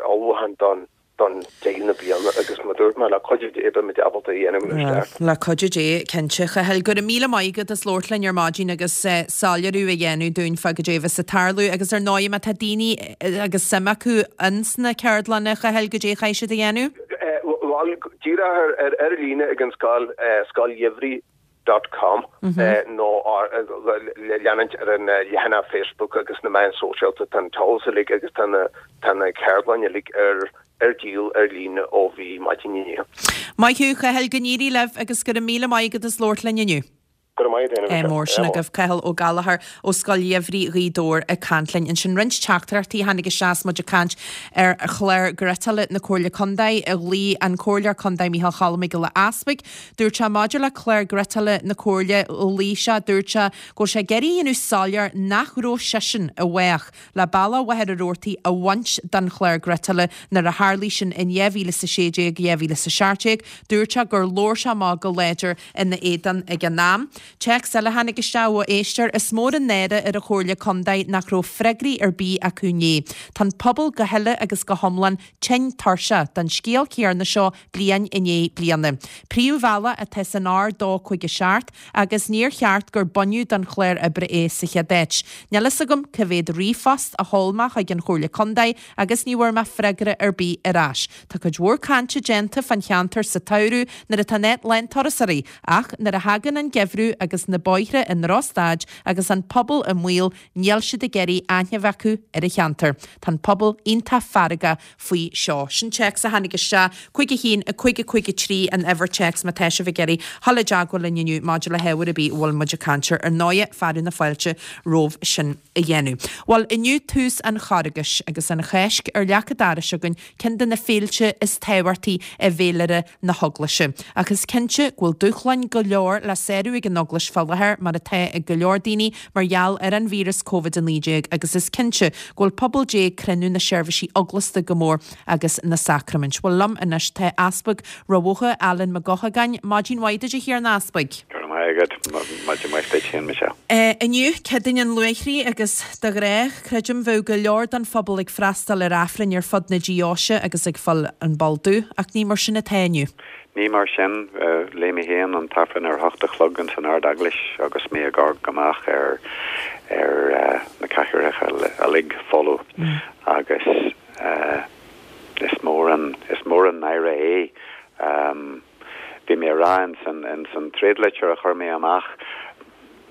ullmhúchán don deireadh na bliana agus mar a dúirt mé, le cuidiú Dé beimid ábalta é a dhéanamh mar is ceart. Le cuidiú Dé, cinnte. A Chathail, go raibh míle maith agat as labhairt linn ar maidin agus soiléiriú a dhéanamh dúinn fá goidé a bheas ag tarlú agus ar ndóigh má tá daoine agus suim acu ins na ceardlanna, a Chathail, goidé a chaithfidh siad a dhéanamh? Bhuel, díreach ar líne ag an scoil, Scoil Gheimhridh. dot com nó leanúint ar an leathanach Facebook agus na meáin sóisialta. Tá an t-eolas uilig agus tá na tá na ceardlanna uilig ar ar díol ar líne ó bhí maidin inniu. Maith thú, a Chathail, go n-éirí libh agus go raibh míle maith agat as labhairt linn inniu. Go raibh maith agat féin, a Ádh mór. Sin agaibh Cathal Ó Gallchóir ó Scoil Gheimhridh Ghaoth Dobhair ag caint linn ansin. Roinnt teachtaireachtaí a tháinig isteach is muid ag caint ar chlár ghriotála na Comhairle Contae. Ghlaoigh an Comhairleoir Contae Micheál Choilm Mac Giolla Easpaig. Dúirt sé maidir le clár griotála na Comhairle, ghlaoigh sé, dúirt sé go bhfuil sé ag iarraidh a dhéanamh soiléir nach raibh seisean i bhfách le Bealach Mhachaire Rabhartaigh a bhaint den chlár griotála nuair a tharlaigh sin in 2016, 2017. Dúirt sé gur labhair sé amach go láidir ina éadan ag an am. Téacs eile a tháinig isteach ó éisteoir, Is mór an náire ar an Chomhairle Contae nach raibh freagraí ar bith acu inné. Tá an pobal go huile agus go hiomlán tinn tuirseach den scéal céarna seo bliain i ndiaidh bliana. Príomhbhealach atá san R257 agus níor cheart gur baineadh den chlár oibre é sa chéad áit. Níl fhios agam cá mhéad ríomhphost a sheol mé chuig an Chomhairle Contae agus ní bhfuair mé freagra ar bith ar ais. Tá cuid mhór cainte déanta fán cheantar sa tsamhradh nuair atá an áit lán turasóirí ach nuair a thagann an geimhreadh agus na bóithre i ndrochstaid agus an pobal i mbaol níl siad ag iarraidh aithne a bheith acu ar an cheantar. Tá an pobal iontach feargach faoi seo. Sin téacs a tháinig isteach, 5 1 5 5 3 an uimhir téacs má tá sibh ag iarraidh dhul i dteagmháil linn inniu maidir le hábhar ar bith a bhfuil muid ag caint air. Ar ndóighe, fearadh na fáilte romhaibh sin a dhéanamh. Bhuel, inniu tús an Charghais agus an Cháisc ar leac an dorais againn, ceann de na féilte is tábhachtaí i bhféilire na hEaglaise. Ach is cinnte go bhfuil dúshláin go leor le sárú ag an Eaglais fá láthair, mar atá ag go leor daoine, mar gheall ar an víreas Covid-19 agus is cinnte go bhfuil pobal Dé ag cronú na seirbhísí eaglasta go mór agus na sacraimint. Bhuel liom anois tá Easpag Ráth Bhoth, Alan Mac Eochagáin. Maidin mhaith duit a Thiarna Easpaig. Go raibh maith agat. Maidin mhaith duit féin, Michelle. Inniu, Céadaoin an Luaithrigh agus de ghnáth, creidim, bheadh go leor den phobal ag freastal ar Aifrinn ar fud na deoise agus ag fáil an Bol Dubh, ach ní mar sin atá inniu. Ní mar sin. Léigh mé féin an tAifreann ar a hocht a chlog ins an Ard-Eaglais agus mé ag amharc amach ar ar na cathaoireacha uilig folamh agus is mór an is mór an náire é. Bhí mé a rá ins an ins an tréadlitir a chuir mé amach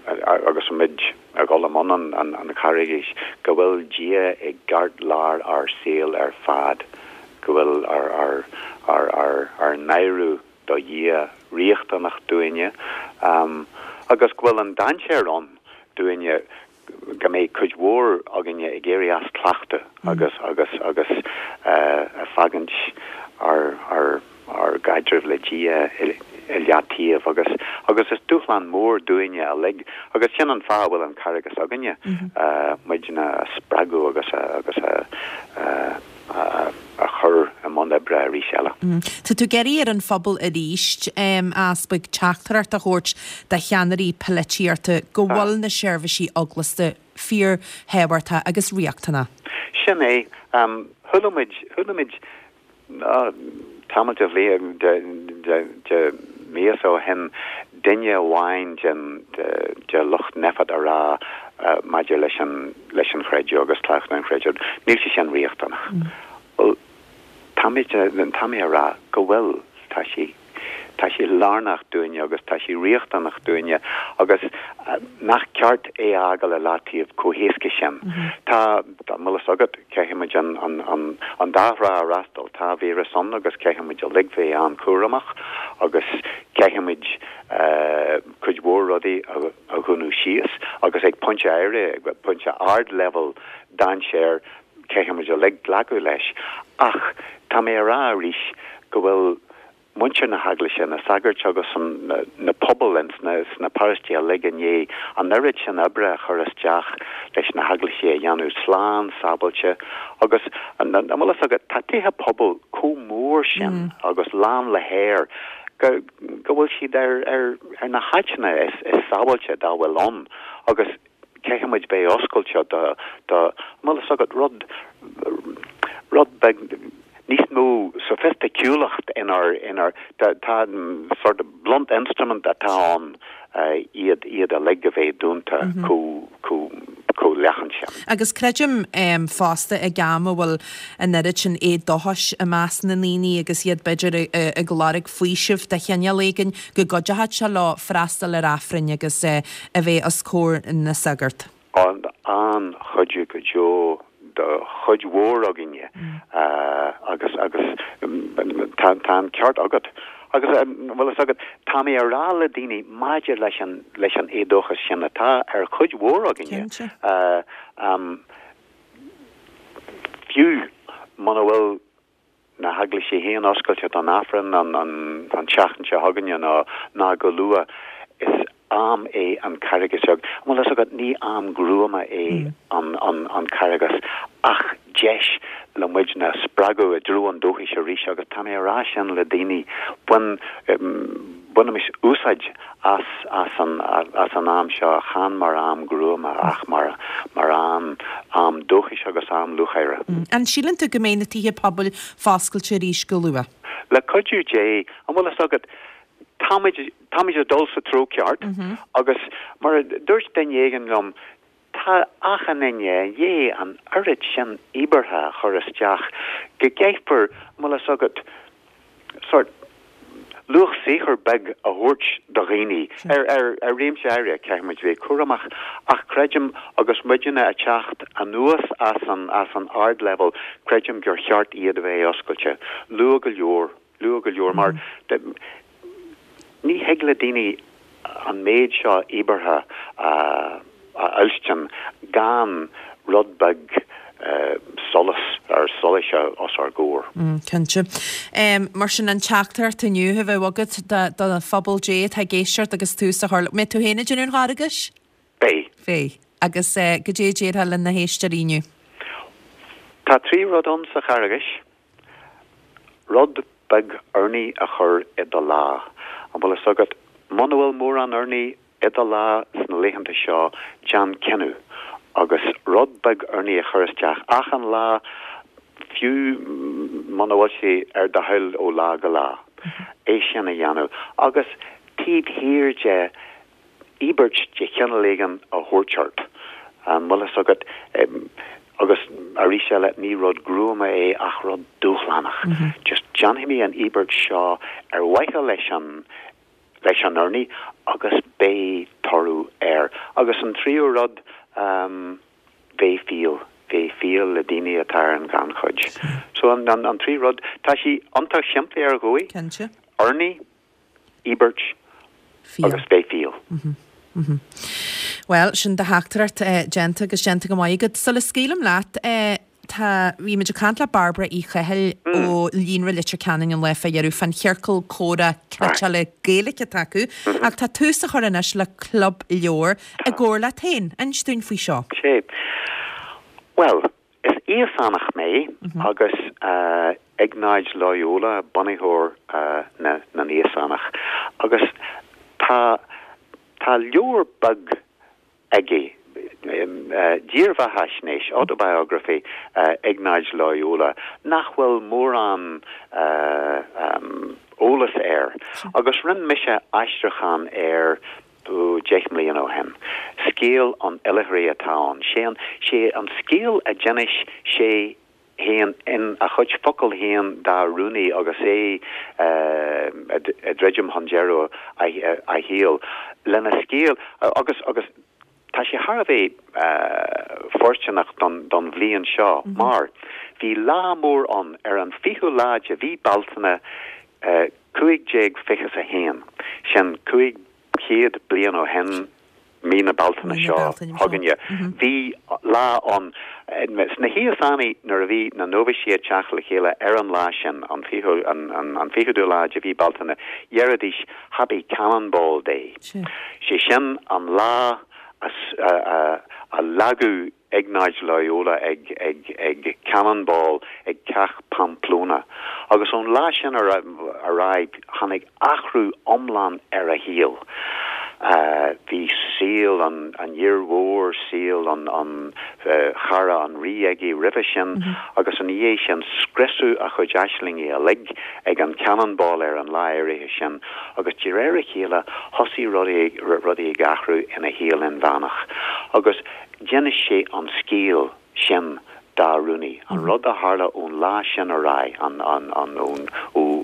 agus muid ag dul i mbun an Charghais, go bhfuil Dia i gceartlár ár saol ar fad, go bhfuil ár n-adhradh do Dhia riachtanach dúinne, agus go bhfuil an dainséar ann dúinne go mbeidh cuid mhór againne ag éirí as cleachtadh agus agus agus ag fágaint ár ár ár gcaidreamh le Dia i leataobh agus agus is dúshlán mór dúinne uilig agus sin an fáth a bhfuil an Carghas againne, muidne a spreagadh agus a agus a a chur i mbun oibre arís eile. Tá tú ag iarraidh ar an phobal arís, a Easpaig, teachtaireacht a thabhairt do cheannairí polaitíochta go bhfuil na seirbhísí eaglasta fíorthábhachtach agus riachtanach. Sin é. Chuala muid, chuala muid tamall de bhliain, de mhíosa ó shin, duine amháin den, de lucht Nphet a rá maidir leis an, leis an chreideamh agus cleachtadh an chreidimh, níl sé sin riachtanach. Bhuel, tá mé, tá mé a rá go bhfuil, tá sé, tá sé lárnach dúinne agus tá sé riachtanach dúinne agus nach ceart é a fhágáil i leataobh chomh héasca sin. Tá, an bhfuil fhios agat, caithfidh muid an, an, an, an dá thrá a fhreastal. Tá víreas ann agus caithfidh muid uilig bheith an-chúramach agus caithfidh muid cuid mhór rudaí a, a dhúnadh síos agus ag pointe áirithe, ag pointe ardleibhéal dainséir, caithfidh muid uilig glacadh leis. Ach tá mé a rá arís go bhfuil muintir na hEaglaise, na sagairt agus na pobail ins na paróistí uilig i ndiaidh an oiread sin oibre a chur isteach leis na heaglaisí a dhéanamh slán sábháilte agus an bhfuil fhios agat, tá tithe pobail chomh mór sin agus lán le haer go go bhfuil siad ar ar na háiteanna is sábháilte dá bhfuil ann agus caithfidh muid bheith oscailte do, do, an bhfuil fhios agat, rud, rud beag níos mó soifisticiúlacht inár, inár, tá, tá sort of blunt instrument atá ann iad, iad uilig a bheith dúnta chomh, chomh, chomh leathan sin. Agus creidim fosta ag am a bhfuil an oiread sin éadóchais i measc na ndaoine agus iad b'fhéidir ag lorg faoisimh de chineál éigin, go gcuideochadh sé leo freastal ar Aifrinn agus a bheith os comhair na sagart. An-chuidiú go deo do chuid mhór againne agus agus tá an ceart agat. Agus an bhfuil fhios agat, tá mé a rá le daoine maidir leis an, leis an éadóchas sin atá ar chuid mhór againne, fiú muna bhfuil na heaglaisí féin oscailte don Aifreann an tseachtain seo chugainne nó ná go luath, is am é an Carghas beag. An bhfuil fhios agat, ní am gruama é an Carghas ach deis le muidne a spreagadh i dtreo an dóchais arís agus tá mé a rá sin le daoine, bain, bainimis úsáid as as an as an am seo, chan mar am gruama ach mar mar am am dóchais agus am lúcháire. An síleann tú go mbeidh na tithe pobail foscailte arís go luath? Le cuidiú Dé, an bhfuil fhios agat, táimid táimid ag dul sa treo ceart agus mar a dúirt duine éigin liom, tá achan duine i ndiaidh an oiread sin íobartha a chur isteach go gcaithfear, an bhfuil fhios agat, sórt luach saothair beag a thabhairt do dhaoine ar ar ar réimse áirithe, caithfidh muid bheith cúramach ach creidim agus muidne ag teacht anuas as an as an ardleibhéal, creidim gur cheart iad a bheith oscailte luath go leor. Luath go leor mar ní thig le daoine an méid seo íobartha a fhuilstin gan rud beag solas ar solais os ár gcomhair. Cinnte. Mar sin an teachtaireacht inniu a bheadh agat do phobal Dé atá ag éisteacht agus tús a chur le. Mbeidh tú féin ag déanamh an Charghais? Beidh. Beidh. Agus goidé a déarfá le na héisteoirí inniu? Tá 3 rud ann sa Charghais. Rud beag urnaí a chur i do lá. An bhfuil fhios agat, muna bhfuil mórán urnaí i do lá sna laethanta seo, déan cinneadh agus rud beag urnaí a chur isteach achan lá, fiú muna bhfuil sé ar do thoil ó lá go lá. É sin a dhéanamh. Agus taobh thiar de, íobairt de chineál éigin a thabhairt ort. An bhfuil fhios agat? Agus arís eile, ní rud gruama é ach rud dúshlánach. Just déanfaidh mé an íobairt seo ar mhaithe leis an, leis an urnaí agus beidh toradh air. Agus an tríú rud, bheith fial, bheith fial le daoine atá ar an ghannchuid. So an, an trí rud, tá sí iontach simplí ar dhóigh. Cinnte. Urnaí, íobairt agus bheith fial. Bhuel, sin do theachtaireacht déanta agus déanta go maith agat. Sula scaoilim leat, tá, bhí muid ag caint le Bairbre Uí Chathail ó Líonra Leitir Ceanainn an lá fá dheireadh fán chiorcal comhrá cniotála Gaeilge atá acu ach tá tús á chur anois le club leabhar i gcomhar leat féin. Inis dúinn faoi seo. Sea. Bhuel, Is Íosánach mé agus Iognáid Loyola bunaitheoir na nÍosánach agus tá tá leabhar beag aige, dírbheathaisnéis, autobiography, Iognáid Loyola, nach bhfuil mórán eolas air agus rinne mise aistriúchán air 10 mbliana ó shin. Scéal an Oilithrigh atá ann. Sé an, sé an scéal a d'inis sé féin in a chuid focal féin dá rúnaí agus é ag druidim chun deireadh a shaoil. Lena scéal, agus, agus tá sé thar a bheith fóirsteanach don, don bhliain seo mar bhí lá mór ann ar an 20ú lá de mhí Bealtaine 1521, sin 500 bliain ó shin, mí na Bealtaine seo chugainne. Bhí lá ann sna hÍosánaigh nuair a bhí na nóibhísigh ag teacht le chéile ar an lá sin, an fichiú lá de mhí Bealtaine, dheiridís Happy Cannonball Day. Sé sin an lá a leagadh Iognáid Loyola ag ag Cannonball ag Cath Pamplona. Agus ón lá sin ar aghaidh tháinig athrú iomlán ar a shaol. Bhí saol an fhir mhóir, saol an chara an rí aige roimhe sin agus ina dhiaidh sin scriosadh a chuid aislingí uilig ag an Cannonball ar an lá áirithe sin agus de réir a chéile thosaigh rudaí ag athrú ina shaol inmheánach. Agus D'inis sé an scéal sin dá rúnaí, an rud a tharla ón lá sin ar aghaidh, an, an, an, ón, ó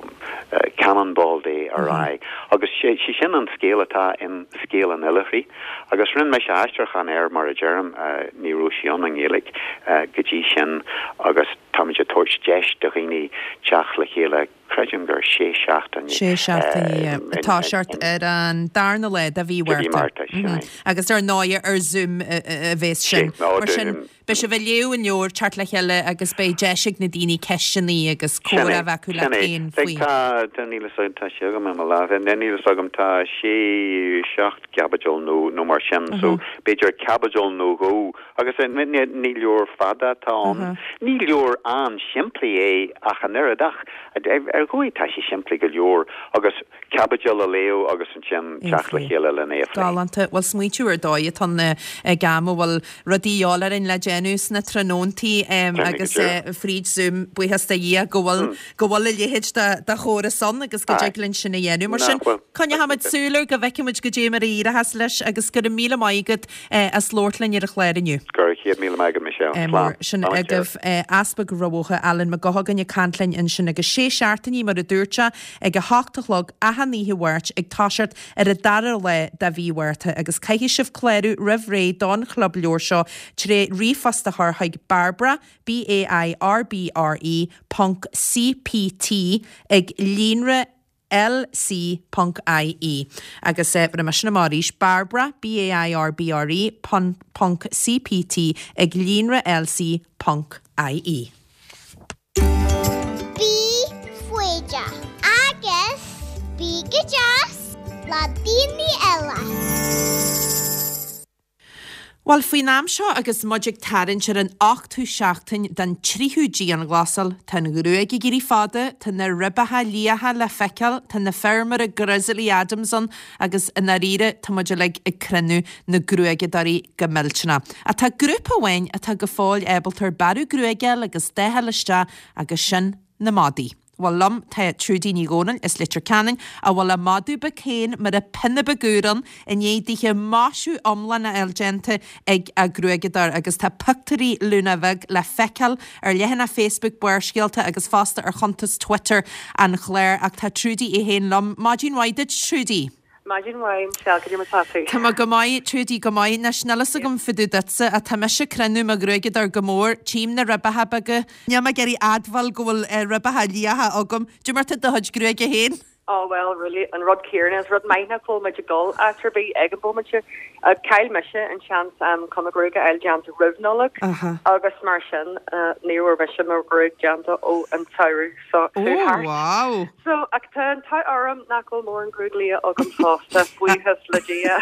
Cannonball Day ar aghaidh. Agus sé, sé sin an scéal atá in Scéal an Oilithrigh. Agus rinne mise aistriúchán air, mar a deirim, ní raibh sé ann i nGaeilge go dtí sin agus táimid ag tabhairt deis do dhaoine teacht le chéile. Creidim gur sé seachtaine. Sé seachtaine, yeah. Ag toiseacht ar an darna lá de mhí Mhárta. Sin é. Agus ar ndóighe ar Zoom a bheas sin. Mar sin, beidh sibh ag léamh an leabhair, teacht le chéile agus beidh deis ag na daoine ceisteanna agus comhrá a bheith acu leat féin faoi. Sin é. Tá, tá, níl fhios agam, tá sé agam i mo lámh, níl fhios agam, tá sé, seacht gcaibidil nó, nó mar sin, so b'fhéidir caibidil nó dhó Agus ní leabhar fada atá ann. Ní leabhar an-simplí é ach an oiread, ach ar dhóigh tá sé simplí go leor agus caibidil a léamh agus ansin teacht le chéile lena é a phlé. Galánta. Bhuel, smaointiú ar dóigh atá ann ag am a bhfuil rudaí a dhíobháil orainn le déanamh sna tráthnóntaí agus fríd Zoom, buíochas do Dhia go bhfuil go bhfuil a leithéid de chóras ann agus go dtig linn sin a dhéanamh. Mar sin, coinneochaimid súil air go bhfeicfimid goidé mar a éireochas leis agus go raibh míle maith agat as labhairt linn ar an chlár inniu. Go raibh 100,000 maith agat Michelle. Slán. Sin agaibh Easpag Rath Bhotha, Alan Mac Gothagáin ag caint linn ansin agus sé seachtainí mar a dúirt sé ag a hocht a chlog achan oíche Mháirt ag toiseacht ar an dara lá de mhí Mhárta agus caithfidh sibh clárú roimh ré don chlub leabhar seo tré ríomhphost a chur chuig Bairbre, B-A-I-R-B-R-E, ponc C-P-T ag líonra lc ponc ie Agus bhéarfaidh mé sin amach arís, Bairbre, B-A-I-R-B-R-E, ponc C-P-T ag líonra lc ponc ie. Bí foighdeach agus bí go deas le daoine eile. Bhuel, faoin am seo agus muid ag tarraingt ar an ochtú seachtain den tríú dianghlasáil, tá an ghruaig ag éirí fada, tá na ribeacha liatha le feiceáil, tá na fir mar a Grizzly Adams ann agus i ndáiríre tá muid uilig ag crinneadh na gruaigeadóirí go millteanach. Ach tá grúpa amháin atá go fóill ábalta ar bearradh gruaige a fháil agus dath a fháil isteach agus sin na madaí. Bhuel liom tá Trudy Ní Dhomhnaill as Leitir Ceanainn a bhfuil a madadh beag féin mar a pionna beag úr ann i ndiaidh dithe maisiú iomlán a fháil déanta ag a gruaigeadóir agus tá pictiúirí Luna bheag le feiceáil ar leathanach Facebook Barrscéalta agus fosta ar chuntas Twitter an chláir ach tá Trudy í féin liom. Maidin mhaith duit Trudy. Maidin mhaith, Michelle, cad é mar atá tú? Tá mé go maith, Trudy, go maith. Anois, níl fhios agam fá dtaobh duitse, ach tá mise ag crinneadh mo ghruaigeadóir go mór, tchím na ribeacha beaga. Níl mé ag iarraidh admháil go bhfuil ribeacha liatha agam. Cad é mar tá do chuid gruaige féin? Oh well, really, an rud céanna, is rud maith nach bhfuil muid ag dul áit ar bith ag an bhomaite. Chaill mise an seans chun mo ghruaig a fháil déanta roimh Nollaig agus mar sin ní raibh mise mo ghruaig déanta ó an tsamhradh. So, Oh, wow! So, ach tá an t-ádh orm nach bhfuil mórán gruaig liath agam fosta, buíochas le Dia.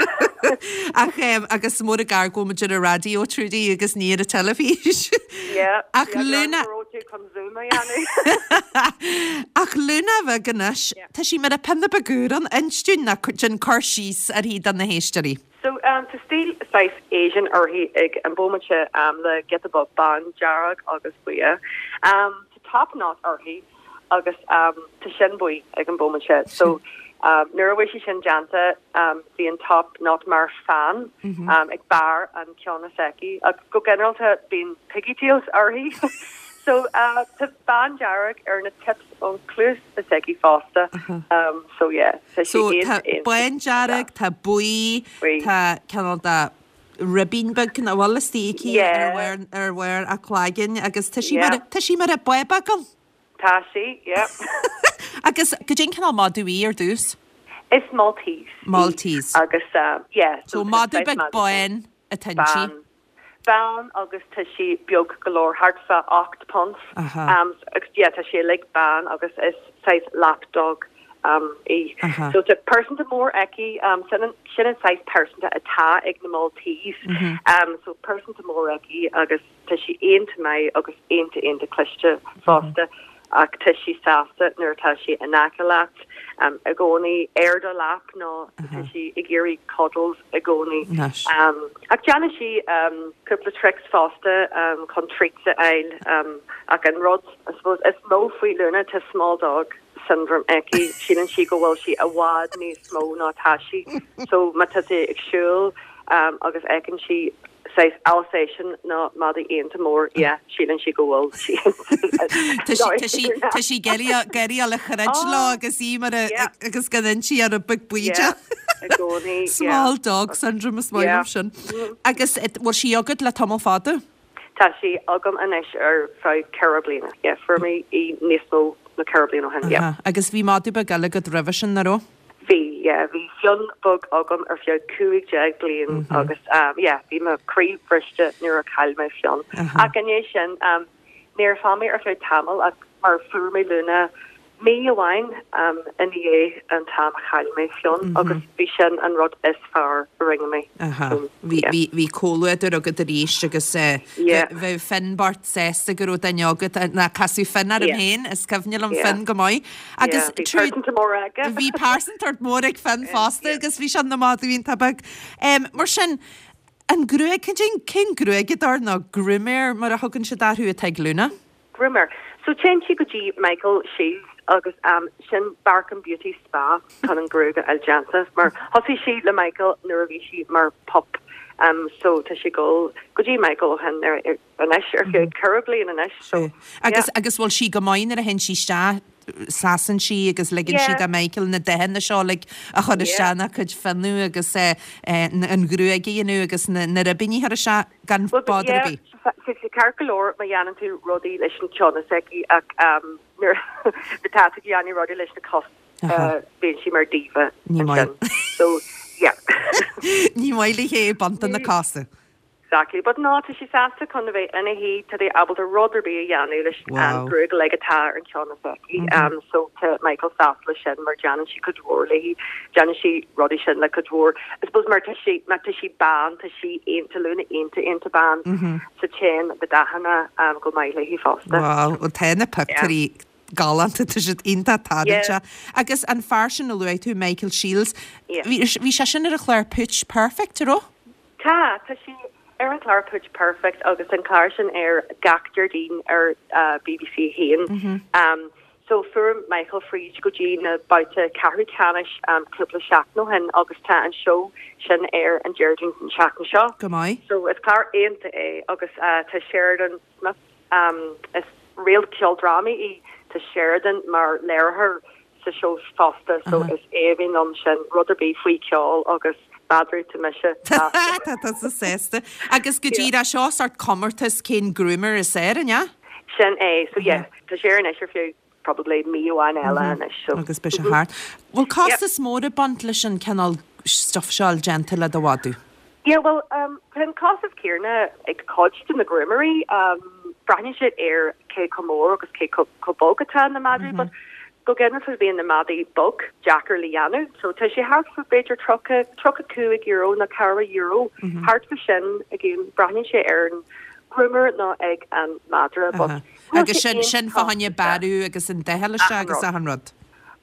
Ach, em, agus mór an gar go bhfuil muid ar an raidió, Trudy, agus ní ar an teilifís. Yeah, Ach yeah, Luna... go raibh tú chun Zoom a dhéanamh. Ach Luna bheag anois, tá sí mar a pionna beag úr ann, inis dúinn nó déan cur síos uirthi do na héisteoirí. So, tá stíl saghas Asian uirthi ag an bhomaite, le giota beag bándearg agus buí. Tá top knot uirthi agus tá sin buí ag an bhomaite. So, nuair a bhí sé sin déanta, bhí an top knot mar fan ag barr an ceann s'aici. Ach go ginearálta bíonn piggy tails uirthi. So, tá bándearg ar na tips ón cluas s'aici fosta. So, yeah, tá sí So, tá bándearg, tá buí, tá cineál de ribín beag nach bhfuil istigh aici ar bharr, ar bharr a cloiginn agus tá sí mar, tá sí mar a bábach ann. Tá sí, yeah. Agus goidé an cineál madadh í ar dtús? Is Maltese í. Maltese. Agus, yeah. So madadh beag bán atá inti. Bán. Bán agus tá sí beag go leor, thart fá 8 punt. Agus yeah, tá sí uilig bán agus is saghas lap dog í. So tá pearsanta mór aici, sin an, sin an saghas pearsanta atá ag na Maltese. So pearsanta mór aici agus tá sí iontach maith agus iontach iontach cliste fosta. Ach tá sí sásta nuair atá sí in aice leat, i gcónaí ar do lap nó tá sí ag iarraidh cuddles i gcónaí. Ach déanann sí cúpla tricks fosta chun treats a fháil. Ach an rud, I suppose, is mó faoi Luna, tá small dog syndrome aici, síleann sí go bhfuil sí i bhfad níos mó ná atá sí. So má tá sí ag siúl agus fheiceann sí saghas Alsatian nó madaí iontach mór, yeah, síleann sí go bhfuil sí Tá sí, tá sí, tá sí ag iarraidh, ag iarraidh a throid leo agus í mar a, agus gan inti ar an beag bídeach. Yeah, i gcónaí, yeah. Small dog syndrome is maith liom sin. Agus bhfuil sí agat le tamall fada? Tá sí agam anois ar feadh 4 bliana, yeah, fuair mé í níos mó. nó 4 bliana ó shin, yeah. Agus bhí madadh beag eile agat roimhe sin, nach raibh? Bhí, yeah, bhí Fionn beag agam ar feadh 15 bliain agus yeah, bhí mo chroí briste nuair a chaill mé Fionn. Ach i ndiaidh sin, níor fhan mé ar feadh tamaill ach mar fuair mé Luna mí amháin i ndiaidh an t-am a chaill mé Fionn agus bhí sin an rud is fearr a rinne mé. Bhí comhluadar agat arís agus bheadh Fionn bocht sásta go raibh duine agat, ná casadh Fionn orm féin, is cuimhne liom Fionn go maith. Agus bhí pearsantacht mór aige. Bhí pearsantacht mór ag Fionn fosta agus bhí sé ina mhadadh iontach beag. Mar sin, an gruaig, cén gruaigeadóir nó grúmaeir mar a thugann siad orthu atá ag Luna? Groomer. So téann sí go dtí Michael Shields agus sin Bark and Beauty Spa chun an gruaig a fháil déanta mar thosaigh sí le Michael nuair a bhí sí mar pup so tá sí ag dul go dtí Michael ó shin ar anois ar feadh 4 bliain anois so yeah. Agus agus bhfuil sí go maith nuair a théann sí isteach seasann sí agus ligeann sí do Michael na dathanna seo uilig a chur isteach ina cuid fionnadh agus an ghruaig a dhéanamh agus na na ribíní a chur isteach gan bother ar bith. Tá sé ceart go leor má dhéanann tú rudaí leis an ceann s'aici ach nuair atá tú ag déanamh rudaí leis na cos bíonn sí mar diva ansin. So yeah. Ní maith léi é baint de na cosa. Exactly. But no, tá sí sásta chun a bheith ina shuí, tá sí ábalta rud ar bith a dhéanamh leis an gruaig uilig atá ar an cheann s'aici. So tá Michael sásta leis sin mar déanann sí cuid mhór léi. Déanann sí rudaí sin le cuid mhór. I suppose mar tá sí, má tá sí bán, tá sí iontach Luna iontach iontach bán. So téann na dathanna go maith léi fosta. Wow, bhuel tá na pictiúirí galánta, tá siad iontach tarraingteach. Agus an fear sin a luaigh tú, Michael Shields, bhí sé sin ar an chlár Pooch Perfect, an raibh? Tá, tá sé ar an chlár Pooch Perfect agus an clár sin ar gach Déardaoin ar BBC 1. So fuair Michael fríd go dtí na babhta ceathrú ceannais cúpla seachtain ó shin agus tá an seó sin ar an Déardaoin an tseachtain seo. Go maith. So is clár iontach é agus tá Sheridan Smith, is réalt ceoldrámaí í, tá Sheridan mar léiritheoir sa seó fosta so is aoibhinn liom sin, rud ar bith faoi cheol agus madraí tá mise sásta. Tá tusa sásta. Agus go díreach seo sórt comórtas cén groomer is fearr, an ea? Sin é, so yeah, tá sé ar anois ar feadh probably mí amháin eile anois so. Agus beidh sé thart. Bhfuil costas mór ag baint leis an cineál stuff seo a fháil déanta le do mhadadh? Yeah, bhuel, tá an costas céanna ag cuid de na grúmaeirí. Braitheann siad ar cé chomh mór agus cé chomh bog atá na madraí, but go ginearálta bíonn na madaí beag deacair le dhéanamh. So tá sé thart fá b'fhéidir 30, €35 nó €40, thart fá sin, again, braitheann sé ar an groomer nó ag an madra, but Agus sin, sin fá choinne bearradh agus an dath a fháil isteach agus achan rud.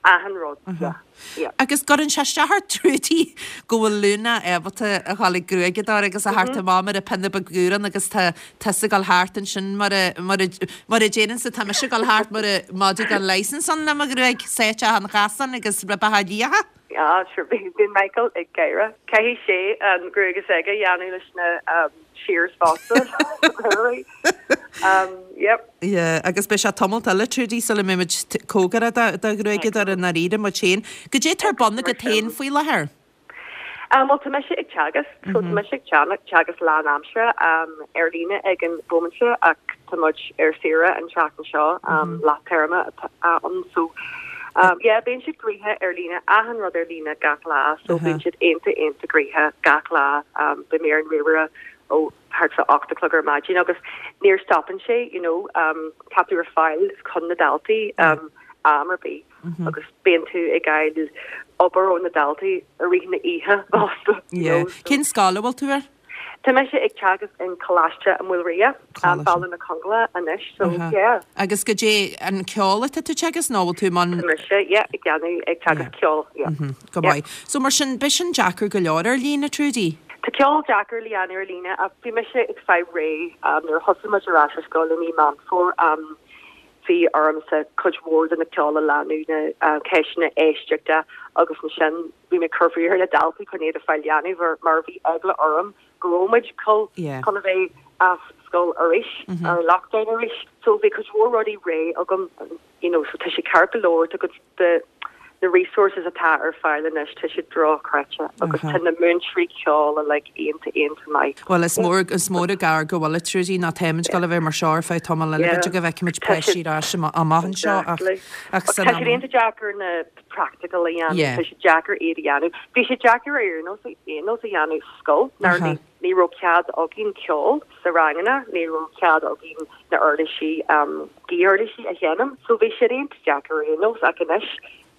Achan rud, yeah, yeah. Agus gcuireann sé isteach ort Trudy go bhfuil Luna ábalta a dhul ag gruaigeadóir agus a theacht amach mar a pionna beag dúrán agus tá tusa ag dul thart ansin mar a, mar a, mar a déarfainnse tá mise ag dul thart mar a madadh gan licence ann le mo ghruaig sáite achan chasán agus ribeacha liatha. Ah, sure, bíonn Michael ag gáire. Caithfidh sé an ghruaig s'aige a dhéanamh leis na shears fosta. Yep. Yeah, agus beidh sé tamalt eile, Trudy, sula mbeidh muid cóngarach do ghruaigeadóir i ndáiríre muid féin. Goidé atá ar bun agat féin faoi láthair? Bhuel, tá mise ag teagasc, so tá mise ag teagasc lánaimseartha ar líne ag an bhomaite ach tá muid ar saoire an tseachtain seo, leath téarma atá ann, so yeah, bíonn siad gnoitheach ar líne, achan rud ar líne gach lá, so bíonn siad iontach iontach gnoitheach gach lá, bíonn mé ar an ríomhaire ó thart fá 8 a chlog ar maidin agus níor stopann sé, you know, tá tú ar fáil chun na daltaí am ar bith. agus bíonn tú ag fháil obair ó na daltaí i rith na oíche fosta. Yeah. Cén scoil a bhfuil tú ar? Tá mise ag teagasc in Coláiste an Mhaoilrua, Baile na Conghla anois, so yeah. Agus goidé an ceol atá tú ag teagasc nó bhfuil tú i mbun? Tá mise, yeah, ag déanamh, ag teagasc ceoil, yeah. Go maith. So mar sin, beidh sin deacair go leor ar líne, Trudy? Tá ceol deacair le dhéanamh ar líne ach bhí mise ag fáil réidh nuair a thosaigh muid ar ais ar scoil i mí Meán Fómhair. Bhí ormsa cuid mhór de na ceol a leanadh, na ceisteanna éisteachta agus ansin bhí mé ag cur faoi ar na daltaí chun iad a fáil dhéanamh mar bhí eagla orm go raibh muid chun a bheith as scoil arís, ar lockdown arís. So bhí cuid mhór rudaí réidh agam you know so tá sé ceart go leor, tá cuid de. Na resources atá ar fáil anois, tá siad drochreite agus tá na múinteoirí ceoil uilig iontach, iontach maith. Bhuel, is mór, is mór an gar go bhfuil a Trudy, nó táimid ag dul a bheith mar seo ar feadh tamall eile, b'fhéidir go bhfeicfimid páistí ar ais amach anseo ach, ach san am. Tá siad iontach deacair na practical a dhéanamh, tá sé deacair iad a dhéanamh. Bhí sé deacair ar aon nós, aon nós a dhéanamh sa scoil, nuair ní raibh cead againn ceol sa ranganna, ní raibh cead againn na uirlisí, gaothuirlisí a sheinm, so bhí siad iontach deacair ar aon nós ach anois,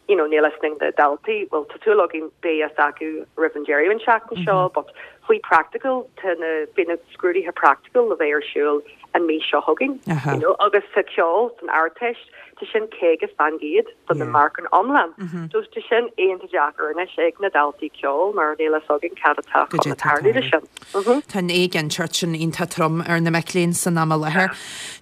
you know, níl fhios ag na daltaí, bhuel tá súil againn beidh fhios acu roimh an deireadh an seachtain seo but faoi practical tá na, beidh na scrúduithe practical le bheith ar siúl an mí seo chugainn, you know, agus sa ceol san Ardteist tá sin 50% do na marcanna iomlán. So tá sin iontach deacair anois ag na daltaí ceoil mar níl fhios againn cad atá chun tarlú leis sin. Tá an éiginnteacht sin iontach trom ar na mic léinn san am i láthair.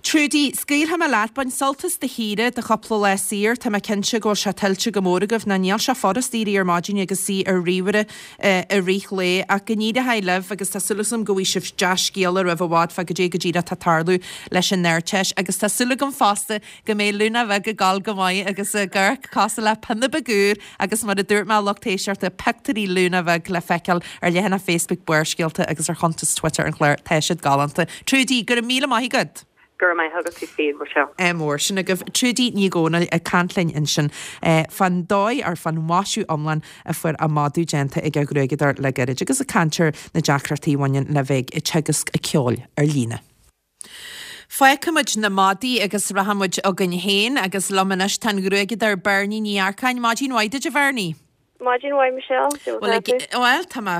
Trudy, scaoilfidh mé leat, bain sult as do shaoire do chúpla lá saor, tá mé cinnte go bhfuil sé tuillte go mór agaibh, nó níl sé furast éirí ar maidin agus suí ar ríomhaire i rith lae, ach go n-éireoidh libh agus tá súil agam go bhfaighidh sibh dea-scéala roimh i bhfad fá goidé go díreach atá ag tarlú leis an Ardteist agus tá súil agam fosta go mbeidh Lúna Bheag ag gabháil go maith agus ag amharc cosúil le pionna beag úr agus mar a dúirt mé lucht éisteachta pictiúirí Lúna Bheag le feiceáil ar leathanach Facebook Barrscéalta agus ar chuntas Twitter an chláir. Tá siad galánta. Trudy, go raibh míle maith agat. Go raibh maith agat tú féin, Michelle. Ádh mór sin agaibh. Trudy Ní Dhomhnaill ag caint linn ansin fán dóigh ar fán mhaisiú iomlán a fuair a madadh déanta ag a ghruaigeadóir le gairid agus ag caint ar na deacrachtaí a bhaineann le bheith ag teagasc ceoil ar líne. Fágfaimid na madaí agus rachaimid chugainn féin agus liom anois tá an gruaigeadóir Bernie Ní Earcáin. Maidin mhaith duit a Bhernie. Maidin mhaith Michelle, cén chaoi a bhfuil tú? Bhuel, tá mé,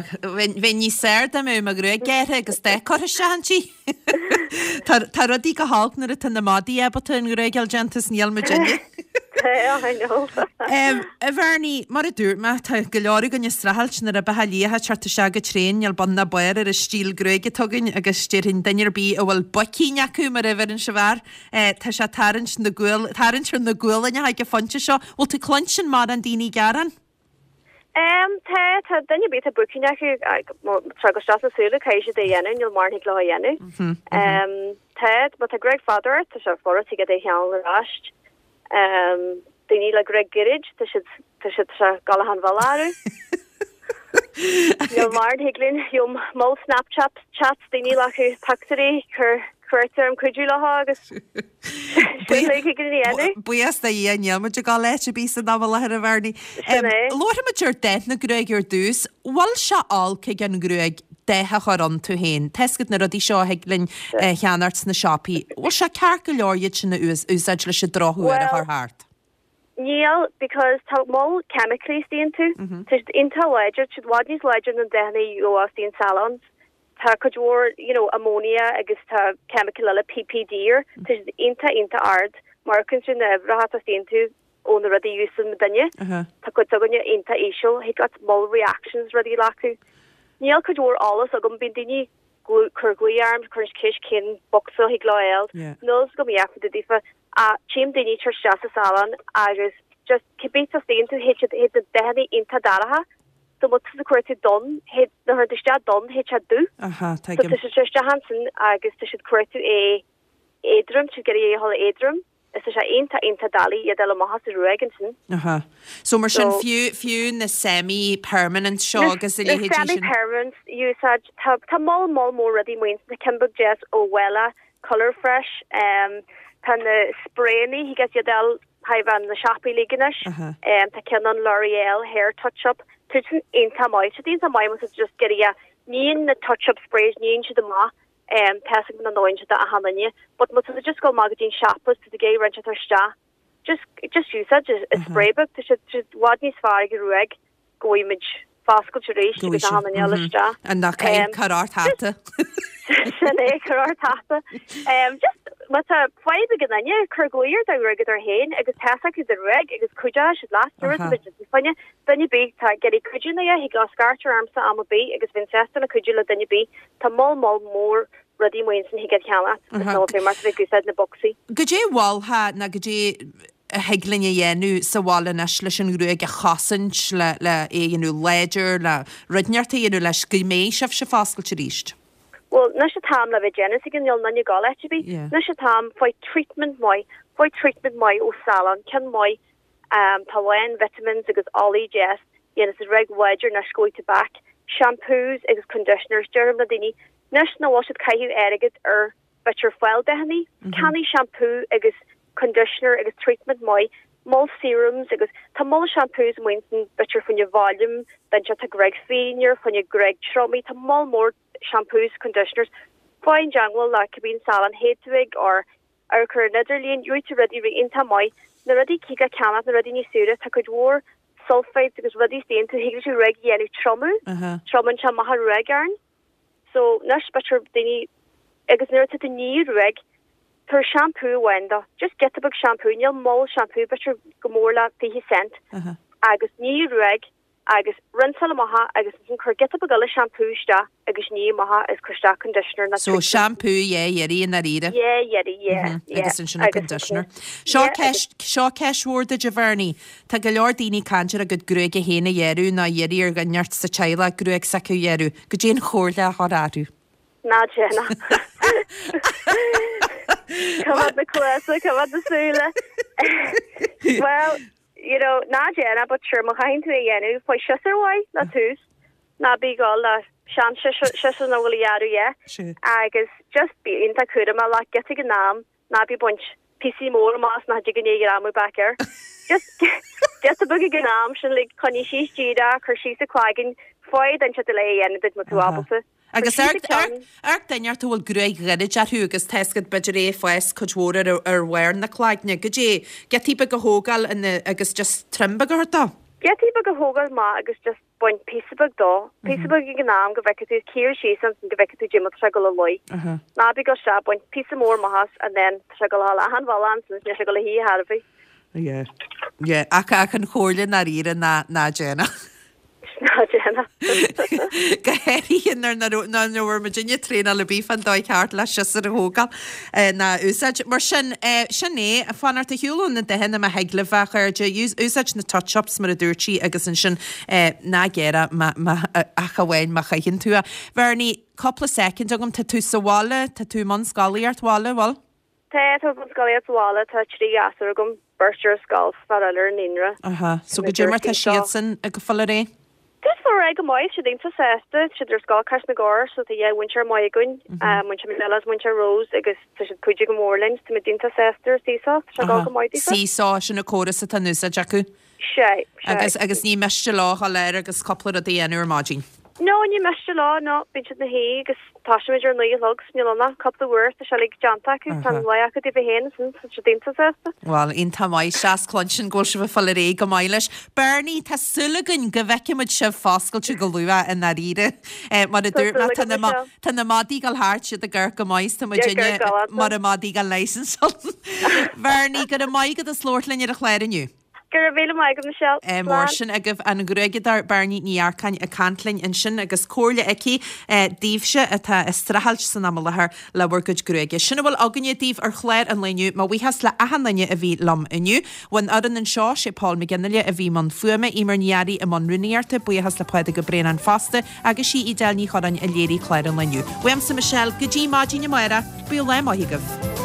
bheinn níos fearr dá mbeadh mo ghruaig gearrtha agus dath curtha isteach inti. Tá, tá rudaí go holc nuair atá na madaí ábalta an ghruaig a fháil déanta is níl muidinne. I know. A Bhernie, mar a dúirt mé, tá go leor againn ag streachailt na ribeacha liatha ag teacht isteach go tréan, níl bun ná barr ar an stíl gruaige atá againn agus déarfainn duine ar bith a bhfuil boicín acu mar a bheireann sibh air, Tá sé ag tarraingt na gual, tarraingt ar na gualainneacha ag an phointe seo. Bhfuil tú ag cluinstin mórán daoine ag gearán? Em, tá, tá duine ar bith atá boicín acu, tá go isteach sna súile, caithfidh siad é a dhéanamh, níl mórán thig leo a dhéanamh. Em, tá, má tá gruaig fada ort, tá sé furast thig leat é a cheangal ar ais. Em, daoine le gruaig gairid, tá siad, tá siad, tá sé ag gabháil achan bhealach orthu. Níl mórán thig linn, gheobhaim moll Snapchat chats daoine le pictiúirí cur cuartú orm cuidiú leo agus sin uilig thig linn a dhéanamh. Buíochas do Dhia, níl muid ag gabháil áit ar bith san am i láthair a Bhernie. Sin é. Labharfaimid ar dath na gruaige ar dtús. Bhfuil sé olc ag an ngruaig dath a chur iontu féin? Tá 'fhios agat na rudaí seo a thig linn a cheannacht sna siopaí. Bhfuil sé ceart go leor iad sin a úsáid leis an drochthuar a chur thart? Níl, because tá moll chemically istigh iontu. Tá siad iontach láidir, tá siad i bhfad níos láidre ná na dathanna a gheofá istigh in salons. Tá cuid mhór, you know, ammonia agus tá chemical eile, PPD air, tá siad iontach, iontach ard. Má amharcann tú na huimhreacha atá istigh iontu ó na rudaí a úsáideann muidinne, tá cuid s'againne iontach íseal, thig leat moll reactions rudaí acu. Níl cuid mhór eolas agam, bíonn daoine cur glaoch orm, cuireann siad ceist cén bocsa a thig leo a fháil. Níl fhios agam a dhath fá dtaobh daofa. Ach tchím daoine ag tabhairt isteach sa salon agus just cibé tá istigh iontu, théid siad, théid na dathanna iontach dorcha. So má tá tú ag cuartú donn, théid, nuair a chuireann tú isteach donn, théid sé dubh. Aha, So tuigim. tá siad isteach ansin agus tá siad cuartú é éadrom, tá siad ag iarraidh é a dhul éadrom. Is tá sé iontach, iontach doiligh iad a fháil amach as an ruaig ansin. Aha. So mar sin, So. fiú, fiú na semi-permanent seo Na, agus a na leithéidí sin. semi-permanents úsáid, tá, tá moll, moll mór rudaí amuigh ansin, tá ceann beag deas ó Wella, Colour Fresh, tá na sprayannaí, thig leat iad a fháil thar na siopaí uilig anois, Aha. tá ceann ann L'Oreal Hair Touch Up, tá siad sin iontach maith, tá siad iontach maith má tá tú just ag iarraidh, níonn na touch up sprays, níonn siad amach Tá 'fhios agam nach ndóireann siad do achan duine, but má tá tú just ag dul amach go dtí an siopa is tú ag iarraidh rud inteacht a chur isteach, just, just úsáid an spray beag, tá siad, tá siad i bhfad níos fearr ag an ruaig go bhfaighidh muid foscailt arís agus achan duine a fháil isteach. An nach caith cur ort hata. Sin é, cur ort hata. Just, má tá fadhb ag an duine, cuir glaoch ar do ghruaigeadóir féin agus tá 'fhios acu do ghruaig agus cuideoidh siad leat, dúirt muid fá choinne duine ar bith atá ag iarraidh cuidiú nó a thig leo scairt ormsa am ar bith agus bheinn sásta le cuidiú le duine ar bith. Tá moll moll mór rudaí amuigh ansin thig leat a cheannacht is nó fé mar tá ag úsáid na bocsaí. Goidé a mholfá nó goidé a thig linn a dhéanamh sa bhaile anois leis an ghruaig a chosaint, le le é a dhéanamh láidir, le rud inteacht a dhéanamh leis go mbeidh sibhse foscailte arís? Bhuel, anois an t-am le bheith ag déanamh tuige níl aon duine ag dul áit ar bith. Anois an t-am, faigh treatment maith, faigh treatment maith ó salon, ceann maith. Tá a lán vitamins agus olaí deas, dhéanann siad ruaig láidir anois go bhfaighidh tú back. Shampoos agus conditioners, deirim le daoine anois nach bhfuil siad caitheamh airgead ar b'fhéidir fáil dathannaí, ceannaigh shampoo agus conditioner agus treatment maith, moll serums agus tá moll shampoos amuigh ansin b'fhéidir fá choinne volume, duine atá gruaig fínear, fá choinne gruaig triomaithe, tá moll mór shampoos, conditioners, faigh i dteangmháil le cibé an salon théid tú ag or amharc ar an idirlíon, gheobhaidh tú rudaí rí iontach maith, na rudaí cíg le ceannach, na rudaí níos saoire, tá cuid mhór sulphites agus rudaí istigh iontu, thig leis an ghruaig a dhéanamh triomú, triomaíonn sé amach an ghruaig orainn. So, anois b'fhéidir daoine, agus nuair atá tú ag ní an ghruaig, tabhair shampoo amháin dó, just giota beag shampoo, níl moll shampoo, b'fhéidir go mór le 20 cent, agus ní an ghruaig, agus rinseáil amach é agus ansin cuir giota beag eile shampoo isteach agus ní amach é agus cuir isteach conditioner nó So shampoo dhá iarraidh i ndáiríre. Dhá iarraidh, yeah, yeah. Agus ansin an conditioner. Seo ceist, seo ceist mhór duit a Bhernie. Tá go leor daoine ag caint ar a gcuid gruaige féin a ghearradh nó iarraidh ar dhuine inteacht sa teaghlach gruaig s'acu a ghearradh. Goidé an chomhairle a thabharfá orthu. Ná déan. Coimeád na cluasa, coimeád na súile. Well, you know, ná déan é, but sure, má chaitheann tú é a dhéanamh, faigh siosúr mhaith le tús, ná bí ag dul le sean-siosúr nach bhfuil a ghearradh yet, agus just bí iontach cúramach, like, giota ag an am, ná bí ag baint píosaí móra amach as nach dtig an é a ghreamú back air. Just giota beag ag an am sin, like, coinnigh síos díreach, cuir síos an cloigeann, faigh duine inteacht le é a dhéanamh duit má tá tú ábalta. Agus amharc duine ort a bhfuil gruaig ghairid orthu agus tá 'fhios agat b'fhéidir é ag fás cuid mhór ar ar bharr na cloigne. Goidé, giotaí beag a thógáil ina agus just trim beag a thabhairt dó? Giotaí beag a thógáil amach agus just bain píosa beag dó. Píosa beag ag an am go bhfeicfidh tú, cíor síos ansin go bhfeicfidh tú goidé mar tá sé ag dul a luí. Ná bí ag dul isteach, bain píosa mór amach as and then tá sé ag dul a dhul achan bhealach ansin is níl sé ag dul a shuí ar chor ar bith. Yeah. Yeah. Ach ach an chomhairle i ndáiríre ná ná déan é. Ná déan é. Go háirithe nuair nach raibh nuair nach bhfuair muidinne traenáil ar bith fán dóigh cheart le siosúr a thógáil ná a úsáid. Mar sin, sin é, fanacht ar shiúl ó na dathanna má thig libh, a chairde. Úsáid na touch-ups mar a dúirt sí agus ansin ná gearr é má má ach amháin má chaitheann tú é. Bhernie, cúpla soicind agam, tá tú sa bhaile, tá tú i mbun scolaíocht bhaile, bhfuil? Tá, tá mé i mbun scolaíocht sa bhaile, tá 3 ghasúr agam, beirt ar scoil, fear eile ar an naíonra. Aha, so goidé mar tá siadsan ag fáil ar aghaidh? Tá siad ag fáil ar aghaidh go maith, siad iontach sásta, tá siad ar scoil Cois na gCorr, so tá dhá mhúinteoir maith againn, múinteoir Michelle agus múinteoir Rose agus tá siad cuidiú go mór linn, tá muid iontach sásta ar Seesaw, tá sé ag dul go maith daofa. Seesaw, sin an córas atá in úsáid acu. Sea, sea. Agus, agus ní miste leo a dhul air agus cúpla rud a dhéanamh ar maidin. No, ní miste leo, no. Bíonn siad ina shuí agus tosaímid ar 9 a chlog, so níl ann ach cúpla uair, tá sé uilig déanta acu, tá an lá acu daofa féin ansin, tá siad iontach sásta. Bhuel, iontach maith, deas cluinstin go bhfuil sibh ag fáil ar aghaidh go maith leis. Bernie, tá súil againn go bhfeicfidh muid sibh foscailte go luath i ndáiríre. Mar a dúirt mé, tá na, tá na madaí ag dul thart, siad ag amharc go maith, is tá muidinne mar a madaí gan licence. Bernie, go raibh maith agat as labhairt linn ar an chlár inniu. Go raibh míle maith agat, Michelle. Slán. Mar sin agaibh an ghruaigeadóir Bernie Ní Earcáin ag caint linn ansin agus comhairle aici daoibhse atá ag streachailt san am i láthair le bhur gcuid gruaige. Sin a bhfuil againne daoibh ar chlár an lae inniu. Mo bhuíochas le achan duine a bhí liom inniu. Bhun fhoireann anseo, sé Paul McGinley a bhí i mbun fuaime, Eimear Ní Fhearraigh i mbun rúnaíochta, buíochas le Pádraig Ó Braonáin fosta agus sí Edel Ní Chorráin a léirigh clár an lae inniu. Uaimse Michelle, go dtí maidin amárach, bíodh lá maith agaibh.